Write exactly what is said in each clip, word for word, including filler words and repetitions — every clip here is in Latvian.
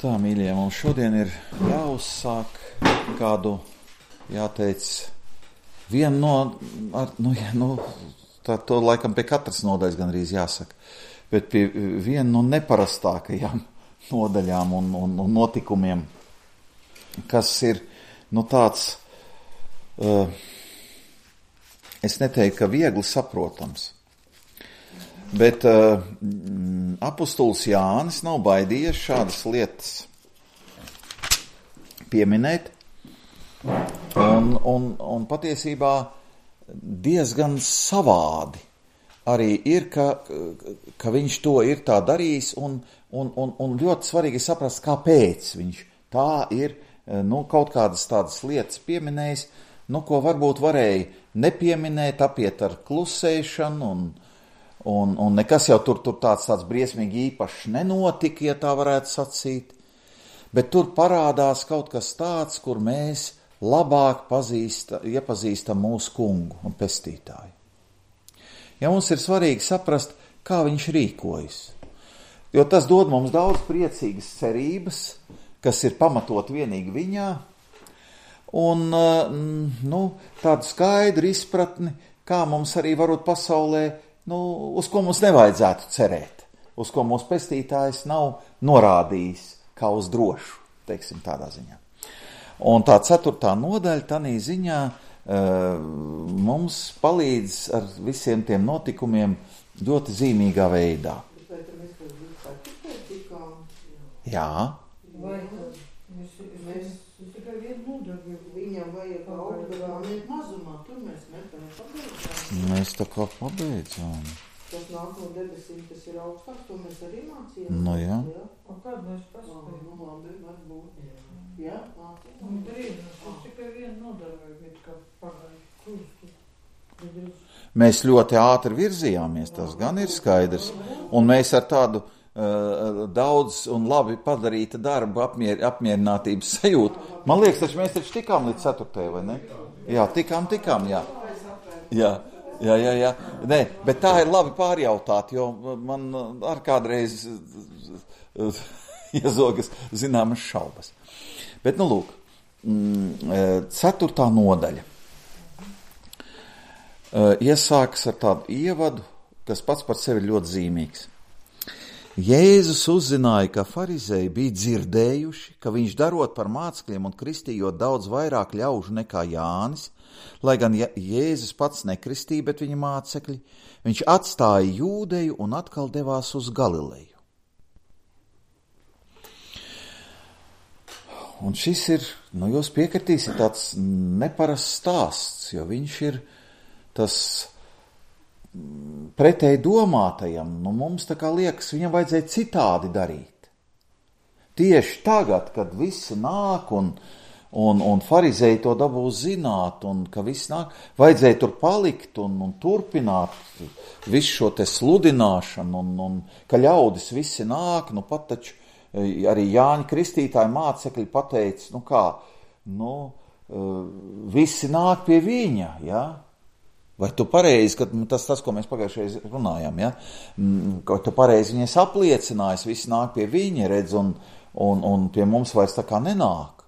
Tā, mīļie, mums šodien ir jāuzsāk kādu, jāteic, vienu no, ar, nu, ja, nu, tā to laikam pie katras nodaļas gan arī jāsaka, bet pie vienu no neparastākajām nodaļām un, un, un notikumiem, kas ir, nu, tāds, uh, es neteiktu, ka viegli saprotams. Bet uh, apustulis Jānis nav baidījies šādas lietas pieminēt, un, un, un patiesībā diezgan savādi arī ir, ka, ka viņš to ir tā darījis, un, un, un, un ļoti svarīgi saprast, kāpēc viņš tā ir, nu, kaut kādas tādas lietas pieminējis, nu, ko varbūt varēja nepieminēt, apiet ar klusēšanu, un Un, un nekas jau tur, tur tāds, tāds briesmīgi īpašs nenotika, ja tā varētu sacīt, bet tur parādās kaut kas tāds, kur mēs labāk pazīsta, iepazīstam mūsu kungu un pestītāju. Ja mums ir svarīgi saprast, kā viņš rīkojas, jo tas dod mums daudz priecīgas cerības, kas ir pamatot vienīgi viņā, un nu, tādu skaidru izpratni, kā mums arī varot pasaulē, nu, uz ko mums nevajadzētu cerēt, uz ko mūsu pestītājs nav norādījis kā uz drošu, teiksim tādā ziņā. Un tā ceturtā nodaļa tanī ziņā uh, mums palīdz ar visiem tiem notikumiem ļoti zīmīgā veidā. Jā. Vai mēs tikai vienu nodaļu, viņam vajag augurāniet mazumā, tur mēs metam pabeidzām. Mēs tā kā pabeidzām. Tas nāk no debesīm, tas ir augstāk, to mēs arī mācījām. Nu jā. Jā. O kādu mēs paspējam? Nu labi, varbūt. Jā, mācījām. Un drīz, tas tikai vienu nodaļu, bet kā pagāju kursu. Mēs ļoti ātri virzījāmies, tas gan ir skaidrs. Un mēs ar tādu uh, daudz un labi padarīta darba apmier, apmierinātības sajūtu. Man liekas, taču mēs taču tikām līdz ceturtajai, vai ne? Jā, tikām, tikām, jā. Jā, jā, jā, jā. Nē, bet tā ir labi pārjautāt, jo man ar kādreiz iezogas zināmas šaubas. Bet, nu, lūk, ceturtā nodaļa. Iesākas ar tādu ievadu, kas pats par sevi ļoti zīmīgs. Jēzus uzzināja, ka farizēji bija dzirdējuši, ka viņš darot par mācekļiem un kristījot daudz vairāk ļaužu nekā Jānis, lai gan Jēzus pats nekristīja, bet viņa mācekļi, viņš atstāja Jūdeju un atkal devās uz Galileju. Un šis ir, nu jūs piekritīsiet, tāds neparasts stāsts, jo viņš ir tas pretēji domātajam, nu mums tā kā liekas, viņam vajadzēja citādi darīt. Tieši tagad, kad visi nāk un, un, un farizēji to dabūs zināt, un ka visi nāk, vajadzēja tur palikt un, un turpināt visu šo te sludināšanu, un, un ka ļaudis visi nāk, nu pat taču arī Jāņa Kristītāja mācekļi pateica, nu kā, nu, visi nāk pie viņa, ja? Vai tu pareizi, ka tas, tas, ko mēs pagājušajā runājām, ja? Ka tu pareizi viņas apliecinājis, visi nāk pie viņa, redz, un, un, un pie mums vairs tā kā nenāk.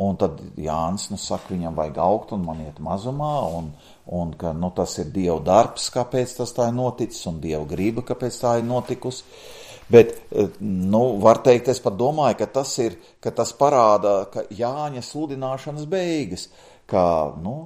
Un tad Jānis, nu, saka, viņam vajag augt un man iet mazumā, un, un ka, nu, tas ir Dieva darbs, kāpēc tas tā ir noticis, un Dieva griba, kāpēc tā ir notikusi. Bet, nu, var teikt, es pat domāju, ka tas ir, ka tas parāda, ka Jāņa sludināšanas beigas, ka, nu,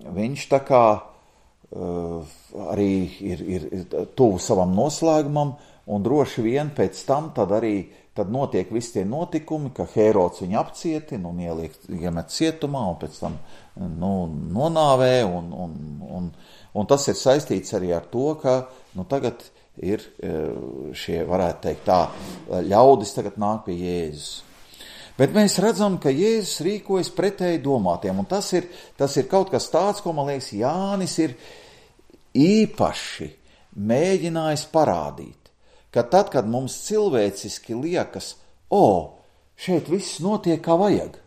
viņš tā kā uh, arī ir, ir, ir tuvu savam noslēgumam, un droši vien pēc tam tad arī tad notiek visi tie notikumi, ka Hērods viņu apcietina un ieliek, iemet cietumā, un pēc tam, nu, nonāvē, un, un, un, un tas ir saistīts arī ar to, ka, nu, tagad ir šie, varētu teikt tā, ļaudis tagad nāk pie Jēzus. Bet mēs redzam, ka Jēzus rīkojas pretēji domātiem, un tas ir, tas ir kaut kas tāds, ko, man liekas, Jānis ir īpaši mēģinājis parādīt, ka tad, kad mums cilvēciski liekas, o, šeit viss notiek kā vajag,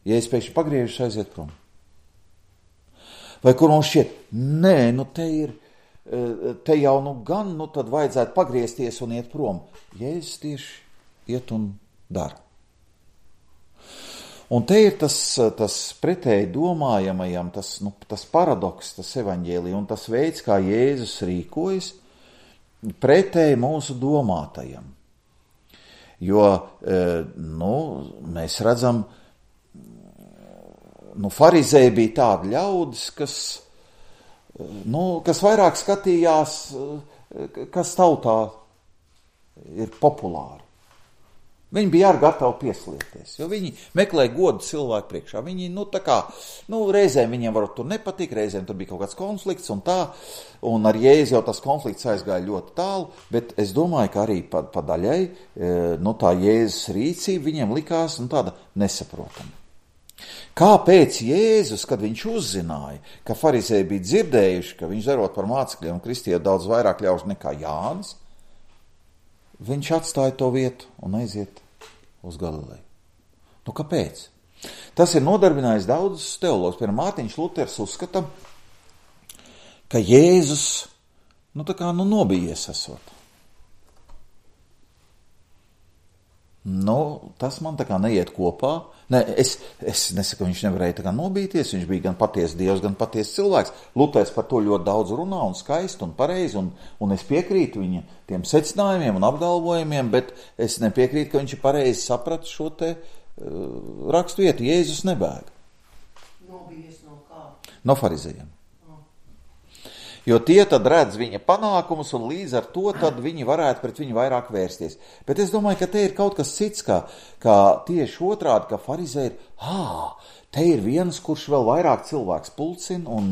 ja es pēkšņi pagriežos aiziet prom. Vai kur mums šķiet, nē, nu te ir, te jau nu gan, nu tad vajadzētu pagriezties un iet prom. Jēzus tieši iet un dara. Un te ir tas, tas pretēji domājamajam, tas, nu, tas paradoks, tas evaņģēlija un tas veids, kā Jēzus rīkojas, pretēji mūsu domātajam. Jo, nu, mēs redzam, nu, farizēji bija tādi ļaudis, kas, nu, kas vairāk skatījās, kas tautā ir populāri. Viņi bija arī gatavi pieslieties, jo viņi meklēja godu cilvēku priekšā. Viņi, nu, tā kā, nu, reizēm viņiem varbūt tur nepatika, reizēm tur bija kaut kāds konflikts un tā, un ar Jēzu jau tas konflikts aizgāja ļoti tālu, bet es domāju, ka arī pa, pa daļai, nu, tā Jēzus rīcība viņiem likās, nu, tāda nesaprotama. Kāpēc Jēzus, kad viņš uzzināja, ka farizēji bija dzirdējuši, ka viņš darot par mācekļiem un kristīja daudz vairāk ļaužu nekā Jānis, viņš atstāja to vietu un aiziet uz Galileju. Nu, kāpēc? Tas ir nodarbinājis daudzus teologus. Piemēram, Mārtiņš Luters uzskata, ka Jēzus, nu, tā kā, nu, nobijies esot. Nu, tas man tā kā neiet kopā. Ne, es, es nesaku, viņš nevarēja tā kā nobīties, viņš bija gan patiesi Dievs, gan patiesi cilvēks. Luters par to ļoti daudz runā un skaisti un pareizi, un, un es piekrītu viņa tiem secinājumiem un apgalvojumiem, bet es nepiekrītu, ka viņš ir pareizi sapratis šo te uh, rakstu vietu. Jēzus nebēga. Nobijies no kā? No farizējiem. Jo tie tad redz viņa panākumus, un līdz ar to tad viņi varētu pret viņu vairāk vērsties. Bet es domāju, ka te ir kaut kas cits, kā, kā tieši otrādi, ka farizēji ir, ā, te ir viens, kurš vēl vairāk cilvēks pulcina, un,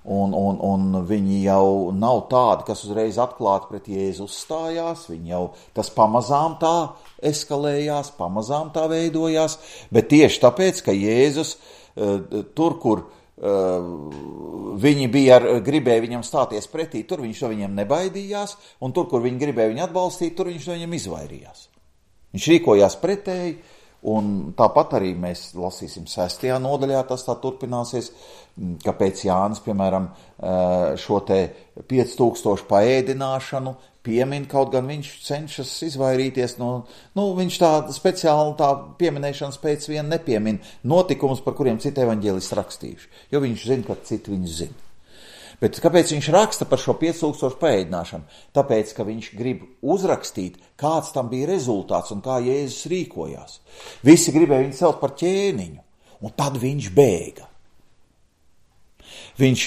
un, un, un viņi jau nav tādi, kas uzreiz atklāti pret Jēzu uzstājās, viņi jau tas pamazām tā eskalējās, pamazām tā veidojās, bet tieši tāpēc, ka Jēzus tur, kur Uh, viņi bija ar, gribēja viņam stāties pretī, tur viņš no viņiem nebaidījās, un tur, kur viņi gribēja viņu atbalstīt, tur viņš no viņiem izvairījās. Viņš rīkojās pretēji, un tāpat arī mēs lasīsim sestajā nodaļā, tas tā turpināsies, kāpēc Jānis, piemēram, šo te pieci tūkstoši paēdināšanu piemin, kaut gan viņš cenšas izvairīties no, nu, viņš tā speciāli tā pieminēšanas pēc vien nepiemin notikumus, par kuriem citi evaņģēlisti rakstījuši, jo viņš zina, ka citi viņus zina. Bet kāpēc viņš raksta par šo pieci tūkstoši paēdināšanu? Tāpēc, ka viņš grib uzrakstīt, kāds tam bija rezultāts un kā Jēzus rīkojās. Visi gribēja viņu celt par ķēniņu, un tad viņš bēga. Viņš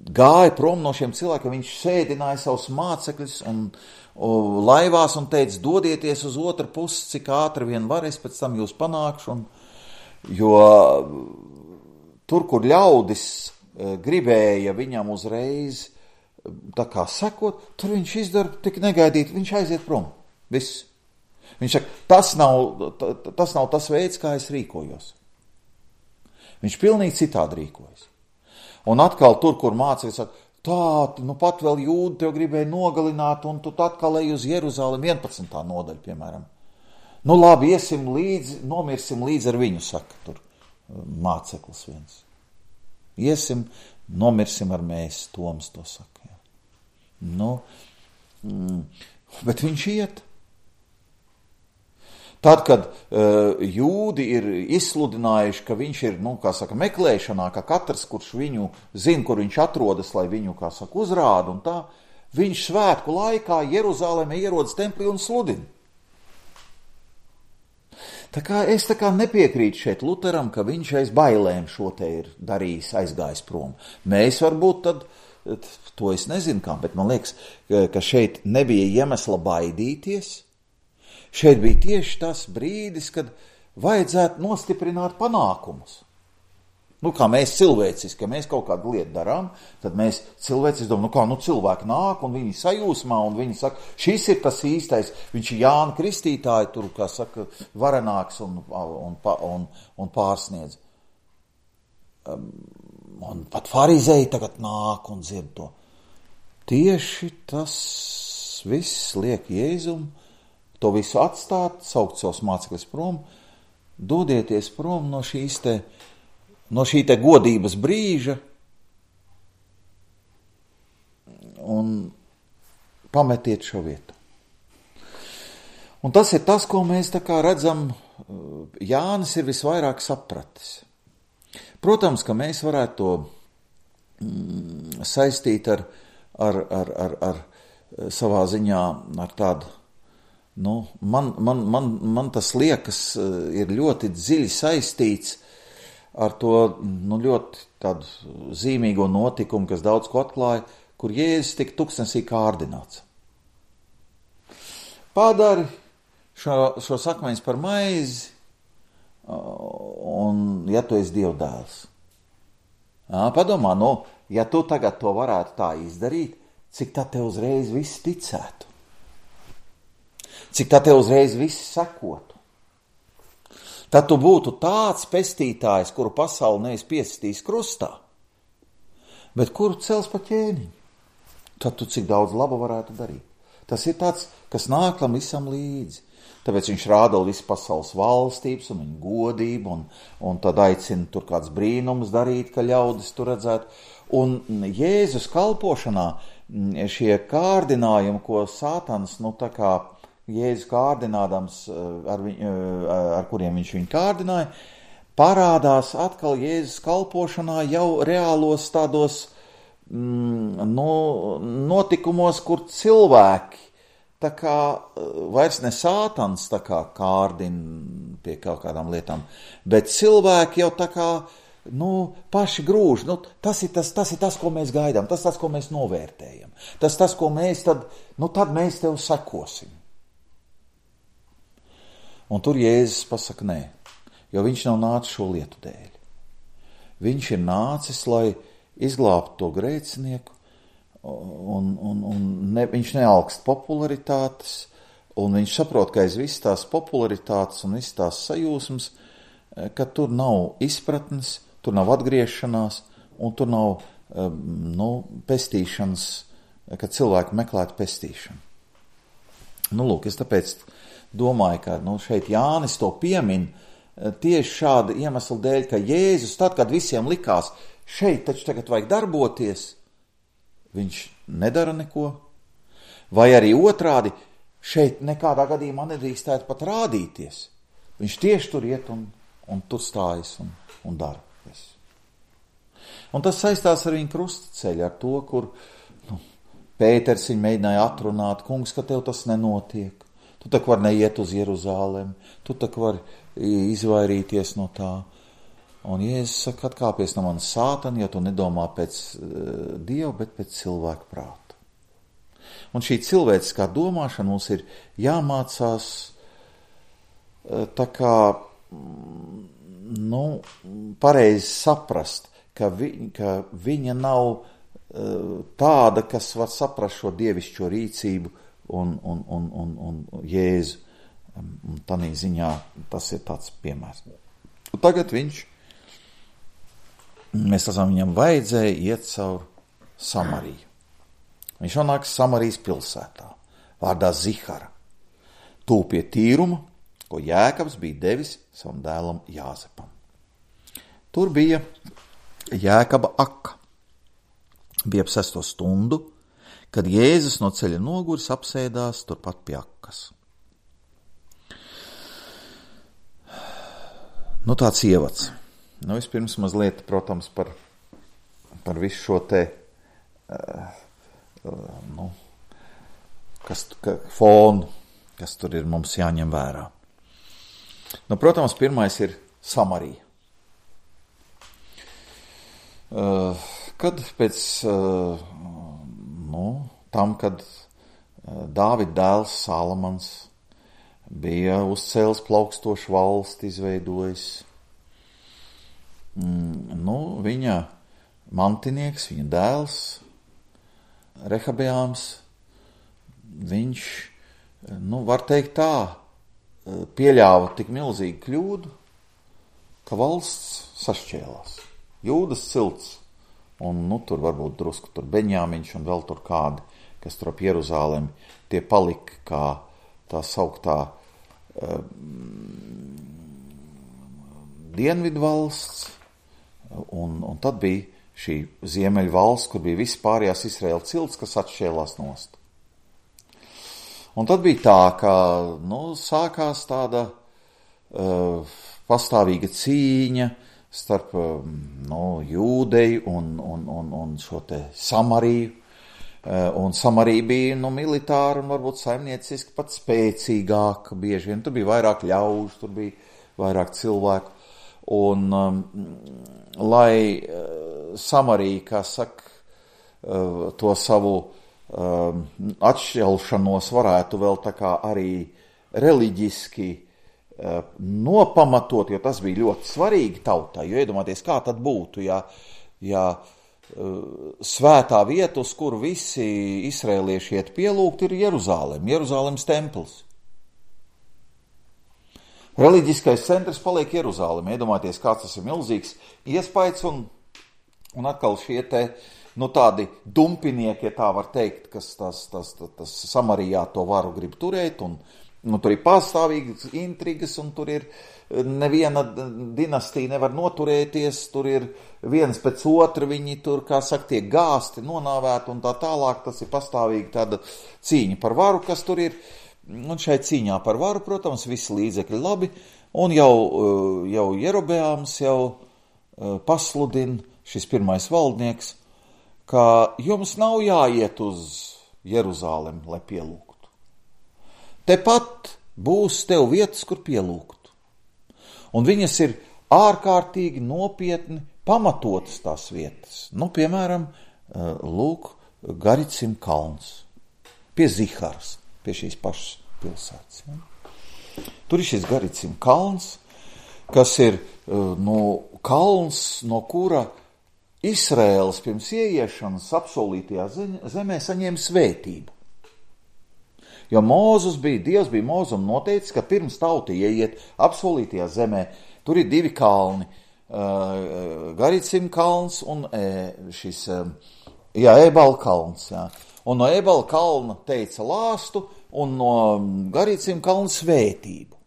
gāja prom no šiem cilvēkiem, viņš sēdināja savus mācekļus un, un laivās un teica, dodieties uz otru pusi, cik ātri vien var, es pēc tam jūs panākšu. Un, jo tur, kur ļaudis gribēja viņam uzreiz tā kā sekot, tur viņš izdara tik negaidīt, viņš aiziet prom. Viss. Viņš saka, tas nav, tas nav tas veids, kā es rīkojos. Viņš pilnīgi citādi rīkojas. Un atkal tur, kur mācekļi saka, tā, nu pat vēl jūdi tev gribēja nogalināt, un tu atkal ej uz Jeruzalem, vienpadsmitā nodaļa, piemēram. Nu labi, iesim līdzi, nomirsim līdzi ar viņu, saka tur māceklis viens. Iesim, nomirsim ar mēs, Toms to saka. Jā. Nu, mm, bet viņš iet. Tad, kad uh, jūdi ir izsludinājuši, ka viņš ir, nu, kā saka, meklēšanā, ka katrs, kurš viņu zina, kur viņš atrodas, lai viņu, kā saka, uzrāda un tā, viņš svētku laikā Jeruzālēmē ierodas templī un sludina. Tā kā es tā kā nepiekrītu šeit Luteram, ka viņš aiz bailēm šo te ir darījis, aizgājis prom. Mēs varbūt tad, to es nezinu kā, bet man liekas, ka šeit nebija iemesla baidīties. Šeit bija tieši tas brīdis, kad vajadzētu nostiprināt panākumus. Nu, kā mēs cilvēciski, ja mēs kaut kādu lietu darām, tad mēs cilvēciski domājam, nu kā, nu cilvēki nāk un viņi sajūsmā un viņi saka, šis ir tas īstais, viņš ir Jāna Kristītāja, tur, kā saka, varenāks un, un, un, un pārsniedz. Un pat farizēji tagad nāk un dzird to. Tieši tas viss liek Jēzum, to visu atstāt, saukt savus mācekļus prom, dodieties prom no šīs te, no šī te godības brīža un pametiet šo vietu. Un tas ir tas, ko mēs tā kā redzam, Jānis ir visvairāk sapratis. Protams, ka mēs varētu to mm, saistīt ar, ar, ar, ar, ar savā ziņā ar tādu, nu, man, man, man, man tas liekas ir ļoti dziļi saistīts ar to, nu, ļoti tādu zīmīgo notikumu, kas daudz ko atklāja, kur Jēzus tika tuksnesī kārdināts. Padari šo, šo sakmeņus par maizi, un ja tu esi Dieva dēls. Jā, padomā, nu, ja tu tagad to varētu tā izdarīt, cik tā te uzreiz viss ticētu? Cik tā te uzreiz viss sekotu? Tad tu būtu tāds pestītājs, kuru pasauli nevis piesitīs krustā, bet kuru cels pa ķēniņu. Tad tu cik daudz laba varētu darīt. Tas ir tāds, kas nāk tam visam līdzi. Tāpēc viņš rāda visu pasaules valstības un viņu godību, un, un tad aicina tur kāds brīnums darīt, ka ļaudis tur redzētu. Un Jēzus kalpošanā šie kārdinājumi, ko Sātans, nu tā kā Jēzus kārdinādams, ar, viņ, ar kuriem viņš viņu kārdināja, parādās atkal Jēzus kalpošanā jau reālos tādos mm, nu, notikumos, kur cilvēki tā kā vairs ne Sātans tā kā kārdina pie kaut kādām lietām, bet cilvēki jau tā kā, nu, paši grūž. Nu, tas ir tas, tas ir tas, ko mēs gaidām, tas tas, ko mēs novērtējam. Tas tas, ko mēs tad, nu, tad mēs tev sekosim. Un tur Jēzus pasaka nē, jo viņš nav nācis šo lietu dēļ. Viņš ir nācis, lai izglābtu to grēcinieku, un, un, un ne, viņš nealkst popularitātes, un viņš saprot, ka aiz visas tās popularitātes un visas tās sajūsmas, ka tur nav izpratnes, tur nav atgriešanās, un tur nav, nu, pestīšanas, ka cilvēki meklētu pestīšanu. Nu, lūk, es tāpēc domāju, ka, nu, šeit Jānis to piemin tieši šāda iemesla dēļ, ka Jēzus, tad, kad visiem likās, šeit taču tagad vajag darboties, viņš nedara neko, vai arī otrādi, šeit nekādā gadījumā nedrīkstētu pat rādīties. Viņš tieši tur iet un, un tur stājas un, un dara. Un tas saistās ar viņu krustaceļu, ar to, kur nu, Pēters viņu mēģināja atrunāt, kungs, ka tev tas nenotiek. Tu tak var neiet uz Jeruzālemi, tu tak var izvairīties no tā. Un Jēzus saka, atkāpies no manas Sātana, ja tu nedomā pēc uh, Dieva, bet pēc cilvēka prāta. Un šī cilvēciskā domāšana mums ir jāmācās uh, tā kā, nu, pareizi saprast, ka, vi, ka viņa nav uh, tāda, kas var saprast šo dievišķo rīcību un, un, un, un, un Jēzu. Un tādā ziņā tas ir tāds piemērs. Un tagad viņš Mēs redzam, viņam vajadzēja iet caur Samariju. Viņš nonāks Samarijas pilsētā, vārdā Zihara, tūp pie tīruma, ko Jēkabs bija devis savam dēlam Jāzepam. Tur bija Jēkaba aka. Bija ap sesto stundu, kad Jēzus no ceļa noguris apsēdās turpat pie akas. Nu, tāds ievads. Nu, vispirms mazliet, protams, par, par visu šo te, uh, uh, nu, kas, ka, fonu, kas tur ir mums jāņem vērā. Nu, protams, pirmais ir Samarija. Uh, kad pēc, uh, nu, tam, kad uh, Dāvida dēls Salamans bija uzcēlis plaukstošu valsti, izveidojis, nu, viņa mantinieks, viņa dēls, Rehabeāms, viņš, nu, var teikt tā, pieļāva tik milzīgu kļūdu, ka valsts sašķēlās. Jūdas cilts, un, nu, tur varbūt drusku tur Beņāmiņš un vēl tur kādi, kas tur ap Jeruzālemi, tie palika kā tā sauktā uh, dienvidu valsts, Un, un tad bija šī ziemeļu valsts, kur bija viss pārējās Izraēla cilts, kas atšķēlās nost. Un tad bija tā, ka, nu, sākās tāda uh, pastāvīga cīņa starp, uh, nu, jūdeju un, un, un, un šo te Samariju. Uh, un Samarija bija, nu, militāra un varbūt saimnieciski pat spēcīgāka bieži vien. Tur bija vairāk ļaužu, tur bija vairāk cilvēku. Un, um, lai uh, Samarija, kā saka, uh, to savu um, atšķelšanos varētu vēl tā kā arī reliģiski uh, nopamatot, jo tas bija ļoti svarīgi tautai. Jo iedomāties, kā tad būtu, ja, ja uh, svētā vieta, uz kuru visi izrēlieši iet pielūgt, ir Jeruzālem, Jeruzālemes templis. Reliģiskais centrs paliek Jeruzālem. Iedomājieties, kāds tas ir milzīgs iespējas un, un atkal šie te, nu tādi dumpinieki, ja tā var teikt, kas tas, tas, tas, tas Samarijā to varu grib turēt un, nu, tur ir pastāvīgas intrigas un tur ir neviena dinastija nevar noturēties, tur ir viens pēc otra, viņi tur, kā saka, tiek gāsti, nonāvēti un tā tālāk, tas ir pastāvīgi tāda cīņa par varu, kas tur ir. Un šai cīņā par varu, protams, visi līdzekļi labi, un jau, jau Jerobeāms jau pasludina, šis pirmais valdnieks, ka jums nav jāiet uz Jeruzālem, lai pielūgtu. Tepat būs tev vietas, kur pielūgt. Un viņas ir ārkārtīgi nopietni pamatotas tās vietas. Nu, piemēram, lūk, Garicim kalns, pie Ziharas. Pie šīs pašas pilsētas. Ja? Tur ir šis Garicim kalns, kas ir nu, kalns, no kura Izraēlas pirms ieiešanas apsolītajā zemē saņēma svētību. Jo Mūzes bija, Dievs bija Mūzum noteicis, ka pirms tauta ieiet apsolītajā zemē, tur ir divi kalni, uh, Garicim kalns un uh, šis, uh, jā, Ebala kalns, jā. Un no Ebala kalna teica lāstu, un no Garicim kalna svētību.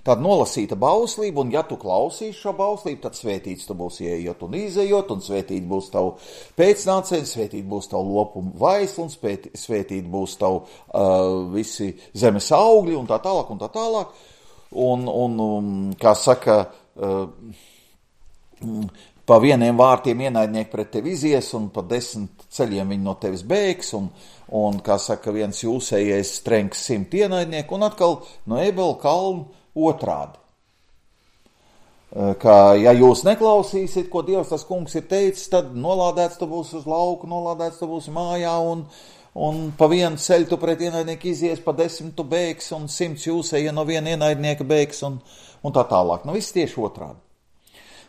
Tāda nolasīta bauslība, un ja tu klausīsi šo bauslību, tad svētīts tu būs ieejot un izejot, un svētīt būs tavu pēcnācēji, svētīt būs tavu lopumu vaislu, un svētīt būs tavu uh, visi zemes augļi, un tā tālāk, un tā tālāk. Un, un um, kā saka, uh, pa vieniem vārtiem ienaidnieki pret tevi izies, un pa desmit ceļiem viņi no tevis bēgs, un, un kā saka, viens jūsējais trenks simt ienaidnieku, un atkal no Ebala kalna otrādi. Ka, ja jūs neklausīsiet, ko Dievs tas kungs ir teicis, tad nolādēts tu būs uz lauku, nolādēts tu būs mājā, un, un pa vienu ceļu tu pret ienaidnieku izies, pa desmit tu bēgs, un simts jūsēja no viena ienaidnieka bēgs, un, un tā tālāk. Nu, viss tieši otrādi.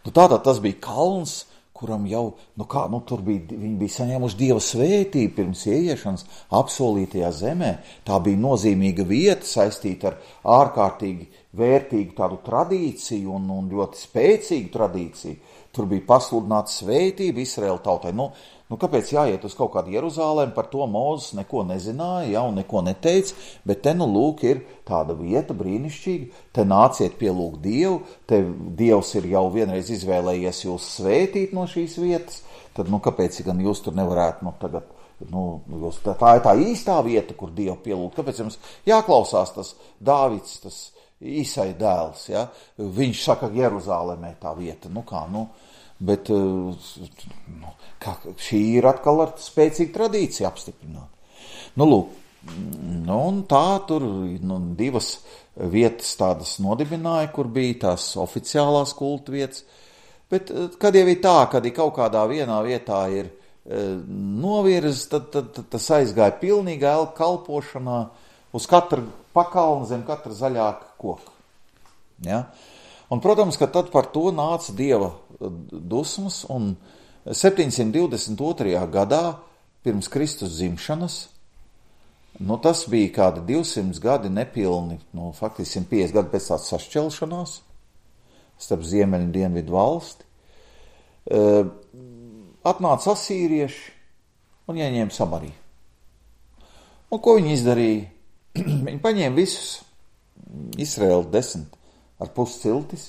Nu, tātad tas bija kalns, kuram jau, nu kā, nu tur bija, viņi bija saņēmuši Dieva svētību pirms ieiešanas apsolītajā zemē. Tā bija nozīmīga vieta saistīta ar ārkārtīgi vērtīgu tādu tradīciju un, un ļoti spēcīgu tradīciju. Tur bija pasludināta svētība Izraēla tautai. Nu, nu kāpēc jāiet uz kaut kādu Jeruzālēm, par to Mūzes neko nezināja, ja, un neko neteica, bet te nu lūk ir tāda vieta brīnišķīga, te nāciet pielūgt Dievu, te Dievs ir jau vienreiz izvēlējies jūs svētīt no šīs vietas, tad nu kāpēc gan jūs tur nevarētu, nu tagad, nu, jūs, tā, tā ir tā īstā vieta, kur Dievu pielūgt, kāpēc jums jāklausās tas Dāvids, tas Īsai dēls, ja, viņš saka Jeruzālēmē tā vieta, nu kā, nu, bet nu, kā, šī ir atkal ar spēcīgu tradīciju apstiprināta. Nu, lūk, nu, un tā tur nu, divas vietas tādas nodibināja, kur bija tās oficiālās kulta vietas, bet kad jau ir tā, kad ir kaut kādā vienā vietā ir e, novirz, tad, tad, tad tas aizgāja pilnīgā elka kalpošanā uz katru pakalnu zem katra zaļāka koka. Ja? Un, protams, ka tad par to nāca Dieva dusmas, un septiņsimt divdesmit otrajā gadā pirms Kristus dzimšanas, nu tas bija kādi divsimt gadi nepilni, nu faktiski simt piecdesmit gadi pēc tādas sašķelšanās starp ziemeļu un dienvidu valsti, uh, atnāca asīrieši un ieņēma Samariju. Un ko viņi izdarīja? Viņi paņēma visus Izraēlu desmit ar pus ciltis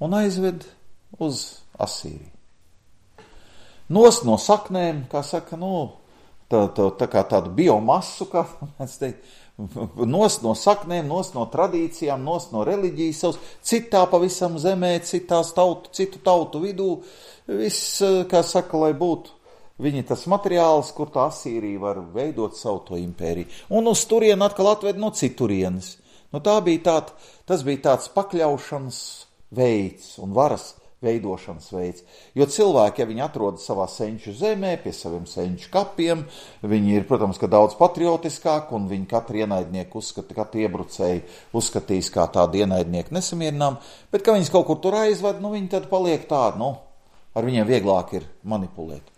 un aizved uz Asīriju. Nost no saknēm, kā saka, nu, tā, tā, tā kā tādu biomasu, kā mēs teikt, nost no saknēm, nost no tradīcijām, nost no reliģijas savas, citā pavisam zemē, citās tautu, citu tautu vidū, viss, kā saka, lai būtu viņi tas materiāls, kur tā Asīrija var veidot savu to impēriju. Un uz turienu atkal atved no citurienes. Nu, tā bija tād, tas bija tāds pakļaušanas veids un varas veidošanas veids. Jo cilvēki, ja viņi atrodas savā senču zemē, pie saviem senču kapiem, viņi ir, protams, ka daudz patriotiskāk, un viņi katru ienaidnieku uzskata, katru iebrucēju uzskatīs kā tādu ienaidnieku nesamierinām, bet, ka viņas kaut kur tur aizved, nu, viņi tad paliek tādi, nu, ar viņiem vieglāk ir manipulēt.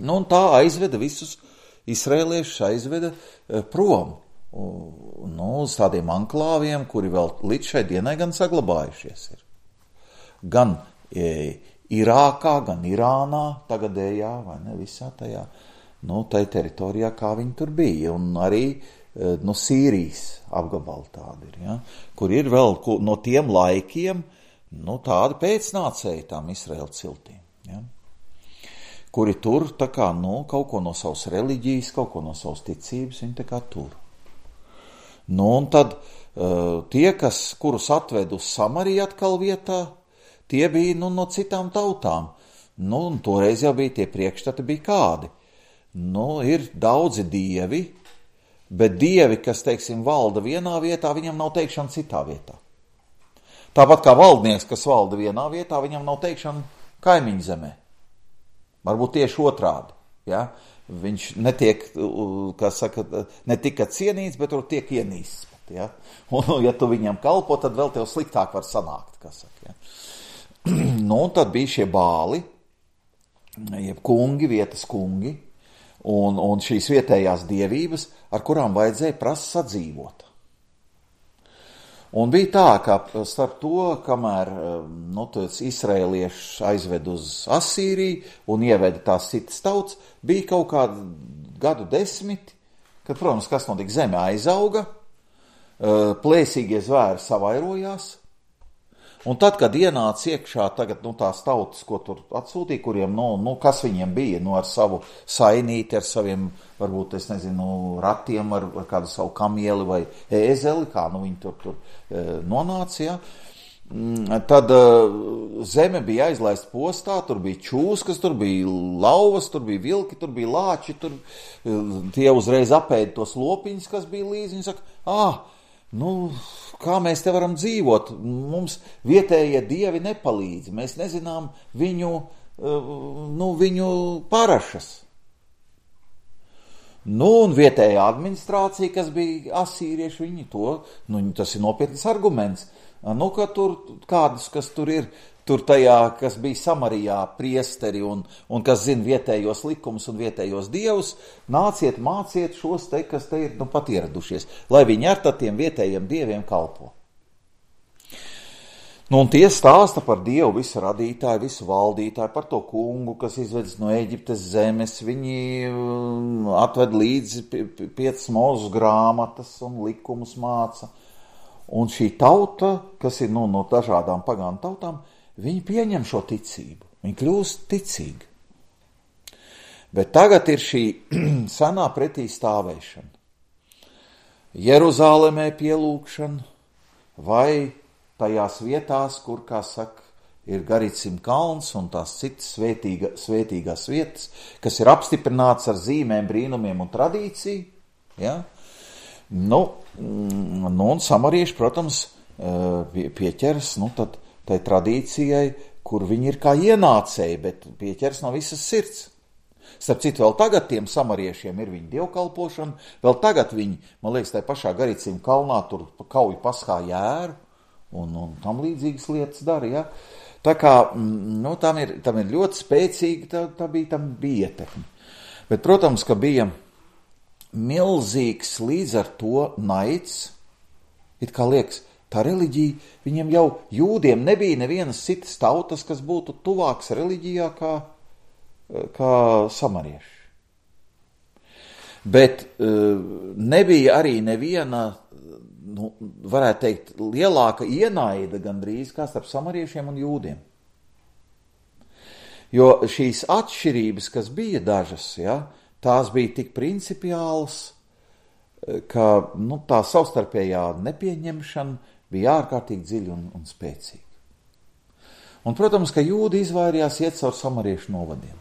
Nu, un tā aizveda visus izraēliešus, aizveda e, prom, nu, uz tādiem anklāviem, kuri vēl līdz šai dienai gan saglabājušies ir. Gan e, Irākā, gan Irānā, tagadējā, vai ne, visā tajā, nu, tai teritorijā, kā viņi tur bija, un arī, e, nu, Sīrijas apgabali tādi ir, ja, kur ir vēl no tiem laikiem, nu, tādi pēcnācēji tām Izraēla ciltīm, ja, kuri tur, tā kā, nu, kaut ko no savas reliģijas, kaut ko no savas ticības, viņi tā kā tur. Nu, un tad uh, tie, kas, kurus atved uz Samariju atkal vietā, tie bija, nu, no citām tautām. Nu, un toreiz jau bija tie priekšstati bija kādi. Nu, ir daudzi dievi, bet dievi, kas, teiksim, valda vienā vietā, viņam nav teikšana citā vietā. Tāpat kā valdnieks, kas valda vienā vietā, viņam nav teikšana kaimiņu zemē. Varbūt tieši otrādi, ja? Viņš netiek, kā saka, ne tikai cienīts, bet tur tiek ienīsts. Ja? Un, ja tu viņam kalpo, tad vēl tev sliktāk var sanākt, kā saka. Ja? Nu, un tad bija šie bāli, jeb kungi, vietas kungi, un, un šīs vietējās dievības, ar kurām vajadzēja prast sadzīvot. Un bija tā, ka starp to, kamēr nu, izraēliešus aizved uz Asīriju un ieveda tās citas tautas, bija kaut kādu gadu desmiti, kad, protams, kas notika, zeme aizauga, plēsīgie zvēri savairojās, un tad, kad ienāca iekšā tagad, nu, tās tautas, ko tur atsūtīja, kuriem, nu, nu, kas viņiem bija, nu, ar savu sainīti, ar saviem, varbūt, es nezinu, ratiem, ar, ar kādu savu kamieli vai ēzeli, kā, nu, viņi tur, tur e, nonāca, ja. Tad e, zeme bija aizlaista postā, tur bija čūskas, tur bija lauvas, tur bija vilki, tur bija lāči, tur e, tie uzreiz apēda tos lopiņus, kas bija līdzi, viņi saka, ā, nu, kā mēs te varam dzīvot, mums vietējie dievi nepalīdz, mēs nezinām viņu, nu, viņu parašas. Nu, un vietējā administrācija, kas bija asīrieši, viņi to, nu, tas ir nopietnas arguments, nu, ka tur kādus, kas tur ir, tur tajā, kas bija Samarijā priesteri un, un kas zina vietējos likumus un vietējos dievus, nāciet, māciet šos te, kas te ir, nu, pat ieradušies, lai viņi ar tādiem vietējiem dieviem kalpo. Nu, un tie stāsta par Dievu visu radītāju, visu valdītāju, par to kungu, kas izvedis no Eģiptes zemes, viņi atved līdzi piecas mūzes grāmatas un likumus māca. Un šī tauta, kas ir nu, no dažādām pagānu tautām, viņi pieņem šo ticību, viņi kļūst ticīgi. Bet tagad ir šī senā pretī stāvēšana. Jeruzālēmē pielūkšana vai tajās vietās, kur, kā saka, ir Garicim kalns un tās citas svētīga, svētīgās vietas, kas ir apstiprināts ar zīmēm, brīnumiem un tradīciju. Ja? Nu, nu, un samarieši, protams, pieķers nu, tad, tai tradīcijai, kur viņi ir kā ienācēji, bet pieķers no visas sirds. Starp citu, vēl tagad tiem samariešiem ir viņa dievkalpošana, vēl tagad viņi, man liekas, tai pašā Garicim kalnā tur kauj paskā jēru, Un, un tam līdzīgas lietas dara, ja. Tā kā, nu, tam ir, tam ir ļoti spēcīga, tā, tā bija, tam bija ietekme. Bet, protams, ka bija milzīgs līdz ar to naids, it kā liekas, tā reliģija, viņiem jau jūdiem nebija nevienas citas tautas, kas būtu tuvāks reliģijā kā, kā samarieši. Bet nebija arī neviena, nu, varētu teikt, lielāka ienaida gandrīz kā starp samariešiem un jūdiem. Jo šīs atšķirības, kas bija dažas, ja, tās bija tik principiāls, ka nu, tā savstarpējā nepieņemšana bija ārkārtīgi dziļa un, un spēcīga. Un, protams, ka jūdi izvairījās iet caur samariešu novadiem.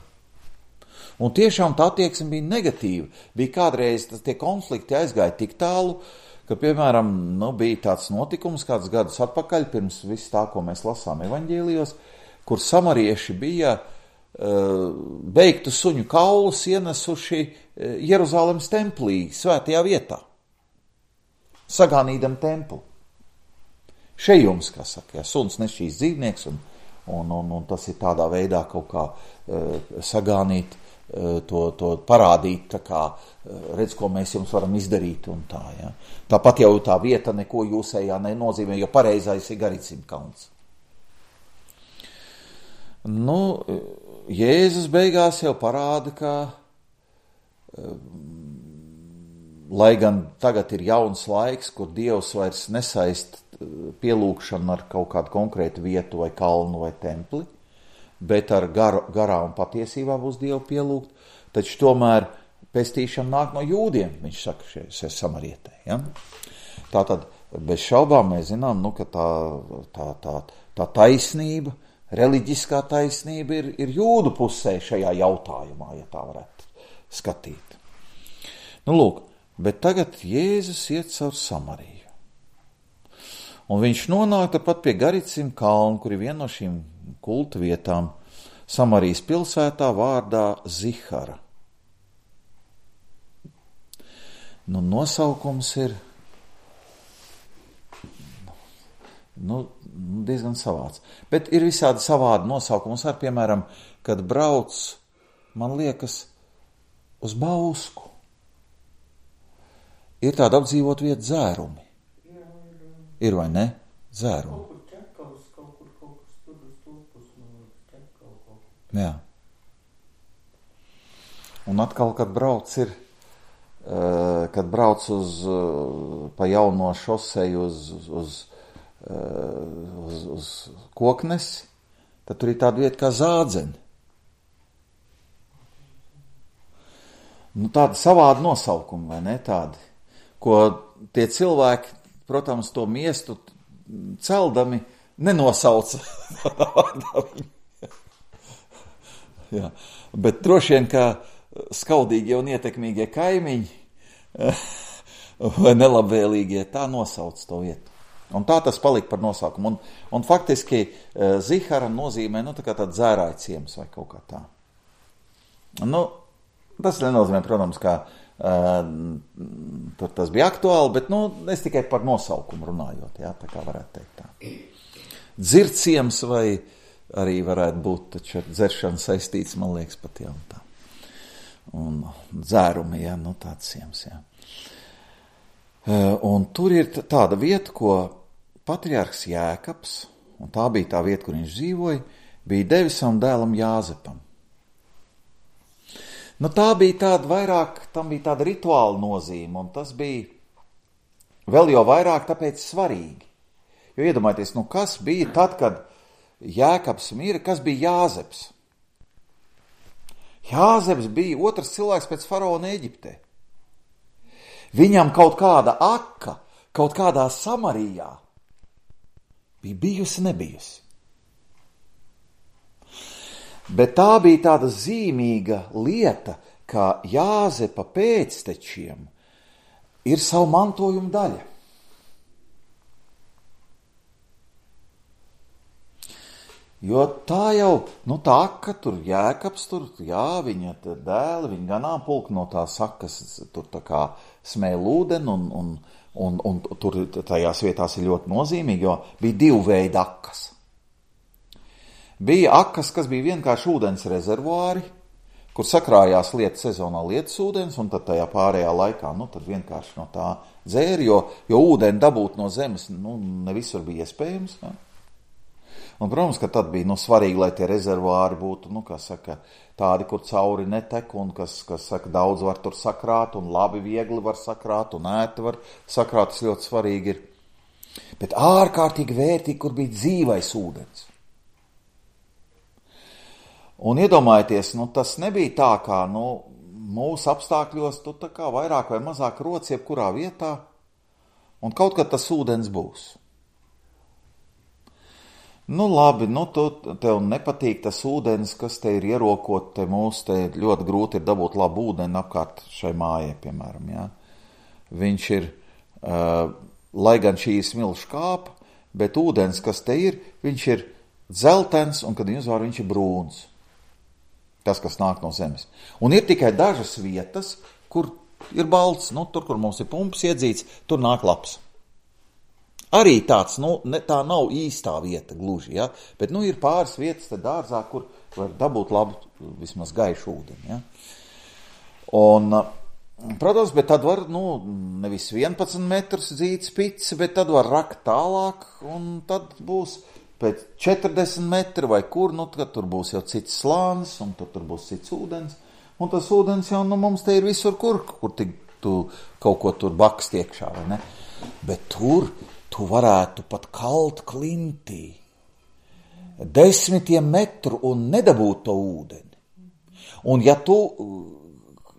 Un tiešām tā attieksme bija negatīva. Bija kādreiz tie konflikti aizgāja tik tālu, ka, piemēram, nu, bija tāds notikums kāds gadus atpakaļ, pirms viss tā, ko mēs lasām evaņģēlijos, kur samarieši bija uh, beigtu suņu kaulus ienesuši uh, Jeruzalemes templī, svētajā vietā, sagānīdam templi. Šejums, kā saka, ja, suns nešķīs dzīvnieks, un, un, un, un tas ir tādā veidā kaut kā uh, sagānīt, To, to parādīt, tā kā redz, ko mēs jums varam izdarīt un tā, ja. Tāpat jau tā vieta neko jūsējā nenozīmē, jo pareizais ir Garicim kalns. Nu, Jēzus beigās jau parāda, ka, lai gan tagad ir jauns laiks, kur Dievs vairs nesaist pielūgšanu ar kaut kādu konkrētu vietu vai kalnu vai templi, bet ar gar, garā un patiesībā būs Dievu pielūgt, taču tomēr pestīšana nāk no jūdiem, viņš saka šeit samarietē. Ja? Tātad bez šaubām mēs zinām, nu, ka tā, tā, tā, tā taisnība, reliģiskā taisnība ir, ir jūdu pusē šajā jautājumā, ja tā varētu skatīt. Nu, lūk, bet tagad Jēzus iet caur Samariju. Un viņš nonāk tāpat pie Garicim kalnu, kur ir viena no šīm kulta vietām Samarijas pilsētā vārdā Zihara. Nu, nosaukums ir nu, diezgan savāds. Bet ir visādi savādi nosaukums, ar, piemēram, kad brauc, man liekas, uz Bausku. Ir tāda apdzīvot vieta Dzērumi. Ir vai ne? Dzērumi. Jā. Un atkal, kad brauc ir, kad brauc uz, pa jauno šoseju uz, uz, uz, uz Koknesi, tad tur ir tāda vieta kā Zādzeni. Nu, tādi savādi nosaukumi, vai ne, tādi, ko tie cilvēki, protams, to miestu celdami nenosauca. Jā, bet droši vien, kā skaudīgie un ietekmīgie kaimiņi vai nelabvēlīgie, tā nosauc to vietu. Un tā tas palika par nosaukumu. Un, un faktiski Zihara nozīmē, nu, tā kā tāds dzērāja ciems vai kaut kā tā. Nu, tas nenozīmē, protams, kā uh, tur tas bija aktuāli, bet, nu, es tikai par nosaukumu runājot, jā, tā kā varētu teikt tā. Dzirciems vai arī varētu būt taču ar dzeršanu saistīts, man liekas, pat jau tā. Un dzērumi, jā, nu tāds ciems, jā. Un tur ir tāda vieta, ko patriarhs Jēkabs, un tā bija tā vieta, kur viņš dzīvoja, bija devis savam dēlam Jāzepam. Nu tā bija tāda vairāk, tam bija tāda rituāla nozīme, un tas bija vēl jau vairāk tāpēc svarīgi. Jo iedomājieties, nu kas bija tad, kad Jēkabs mira, kas bija Jāzeps? Jāzeps bija otrs cilvēks pēc faraona Eģiptē. Viņam kaut kāda aka, kaut kādā Samarijā bija bijusi, nebijusi. Bet tā bija tāda zīmīga lieta, ka Jāzepa pēctečiem ir savu mantojumu daļa. Jo tā jau, nu tā aka tur, Jēkabs tur, jā, viņa dēli, viņa ganāmpulka no tās sakas tur tā kā smēl ūdeni, un, un, un, un tur tajās vietās ir ļoti nozīmīgi, jo bija divu veidu akas. Bija akas, kas bija vienkārši ūdens rezervuāri, kur sakrājās lietas sezonā lietas ūdens, un tad tajā pārējā laikā, nu tad vienkārši no tā dzēri, jo, jo ūdeni dabūt no zemes, nu, ne visur bija iespējams, ja? Un, protams, ka tad bija, nu, svarīgi, lai tie rezervuāri būtu, nu, kā saka, tādi, kur cauri netek, un kas, kas saka, daudz var tur sakrāt, un labi, viegli var sakrāt, un ēti var sakrāt, tas ļoti svarīgi ir. Bet ārkārtīgi vērtīgi, kur bija dzīvais ūdens. Un iedomājieties, nu, tas nebija tā, kā, nu, mūsu apstākļos tu tā kā vairāk vai mazāk roc jebkurā vietā, un kaut kad tas ūdens būs. Nu labi, nu tu, tev nepatīk tas ūdens, kas te ir ierokot, te mūs te ļoti grūti ir dabūt labu ūdeni apkārt šai mājai, piemēram, jā. Viņš ir, uh, lai gan šī smilšu kāpa, bet ūdens, kas te ir, viņš ir dzeltens, un kad viņi uzvār, viņš ir brūns. Tas, kas nāk no zemes. Un ir tikai dažas vietas, kur ir balts, nu, tur, kur mums ir pumps iedzīts, tur nāk labs. Arī tāds, nu, ne, tā nav īstā vieta gluži, ja? Bet, nu, ir pāris vietas te dārzā, kur var dabūt labu, vismaz gaišu ūdeni, ja? Un, protams, bet tad var, nu, nevis vienpadsmit metrus dzīt spici, bet tad var rakt tālāk, un tad būs pēc četrdesmit metri vai kur, nu, tad tur būs jau cits slānis, un tur, tur būs cits ūdens, un tas ūdens jau, nu, mums te ir visur kur, kur tik tu kaut ko tur bakst iekšā, vai ne? Bet tur tu varētu pat kalt klintī desmitiem metru un nedabūt to ūdeni. Un ja tu,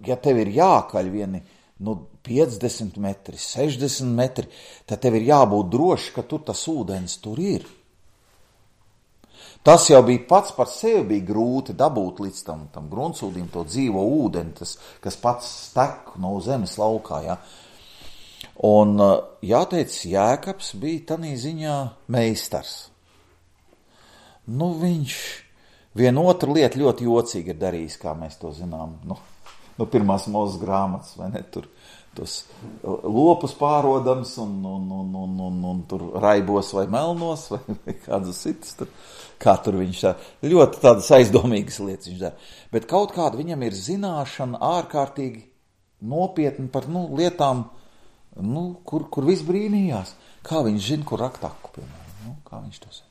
ja tev ir jākaļ vieni, nu, piecdesmit metri, sešdesmit metri, tad tev ir jābūt droši, ka tur tas ūdens tur ir. Tas jau bija pats par sevi bija grūti dabūt līdz tam, tam gruntsūdim to dzīvo ūdeni, tas, kas pats stek no zemes laukā, ja. Un jāteic, Jēkabs bija tanī ziņā meistars. Nu, viņš vienu otru lietu ļoti jocīgi ir darījis, kā mēs to zinām. Nu, nu pirmās Mūzes grāmatas, vai ne, tur tos lopus pārodams un, un, un, un, un, un tur raibos vai melnos vai, vai kādus citus tur, kā tur viņš tā, ļoti tādas aizdomīgas lietas viņš dara. Bet kaut kāda viņam ir zināšana ārkārtīgi nopietni par, nu, lietām, nu, kur, kur viss brīnījās. Kā viņš zina, kur rakt aku, piemēram, nu, kā viņš to zina.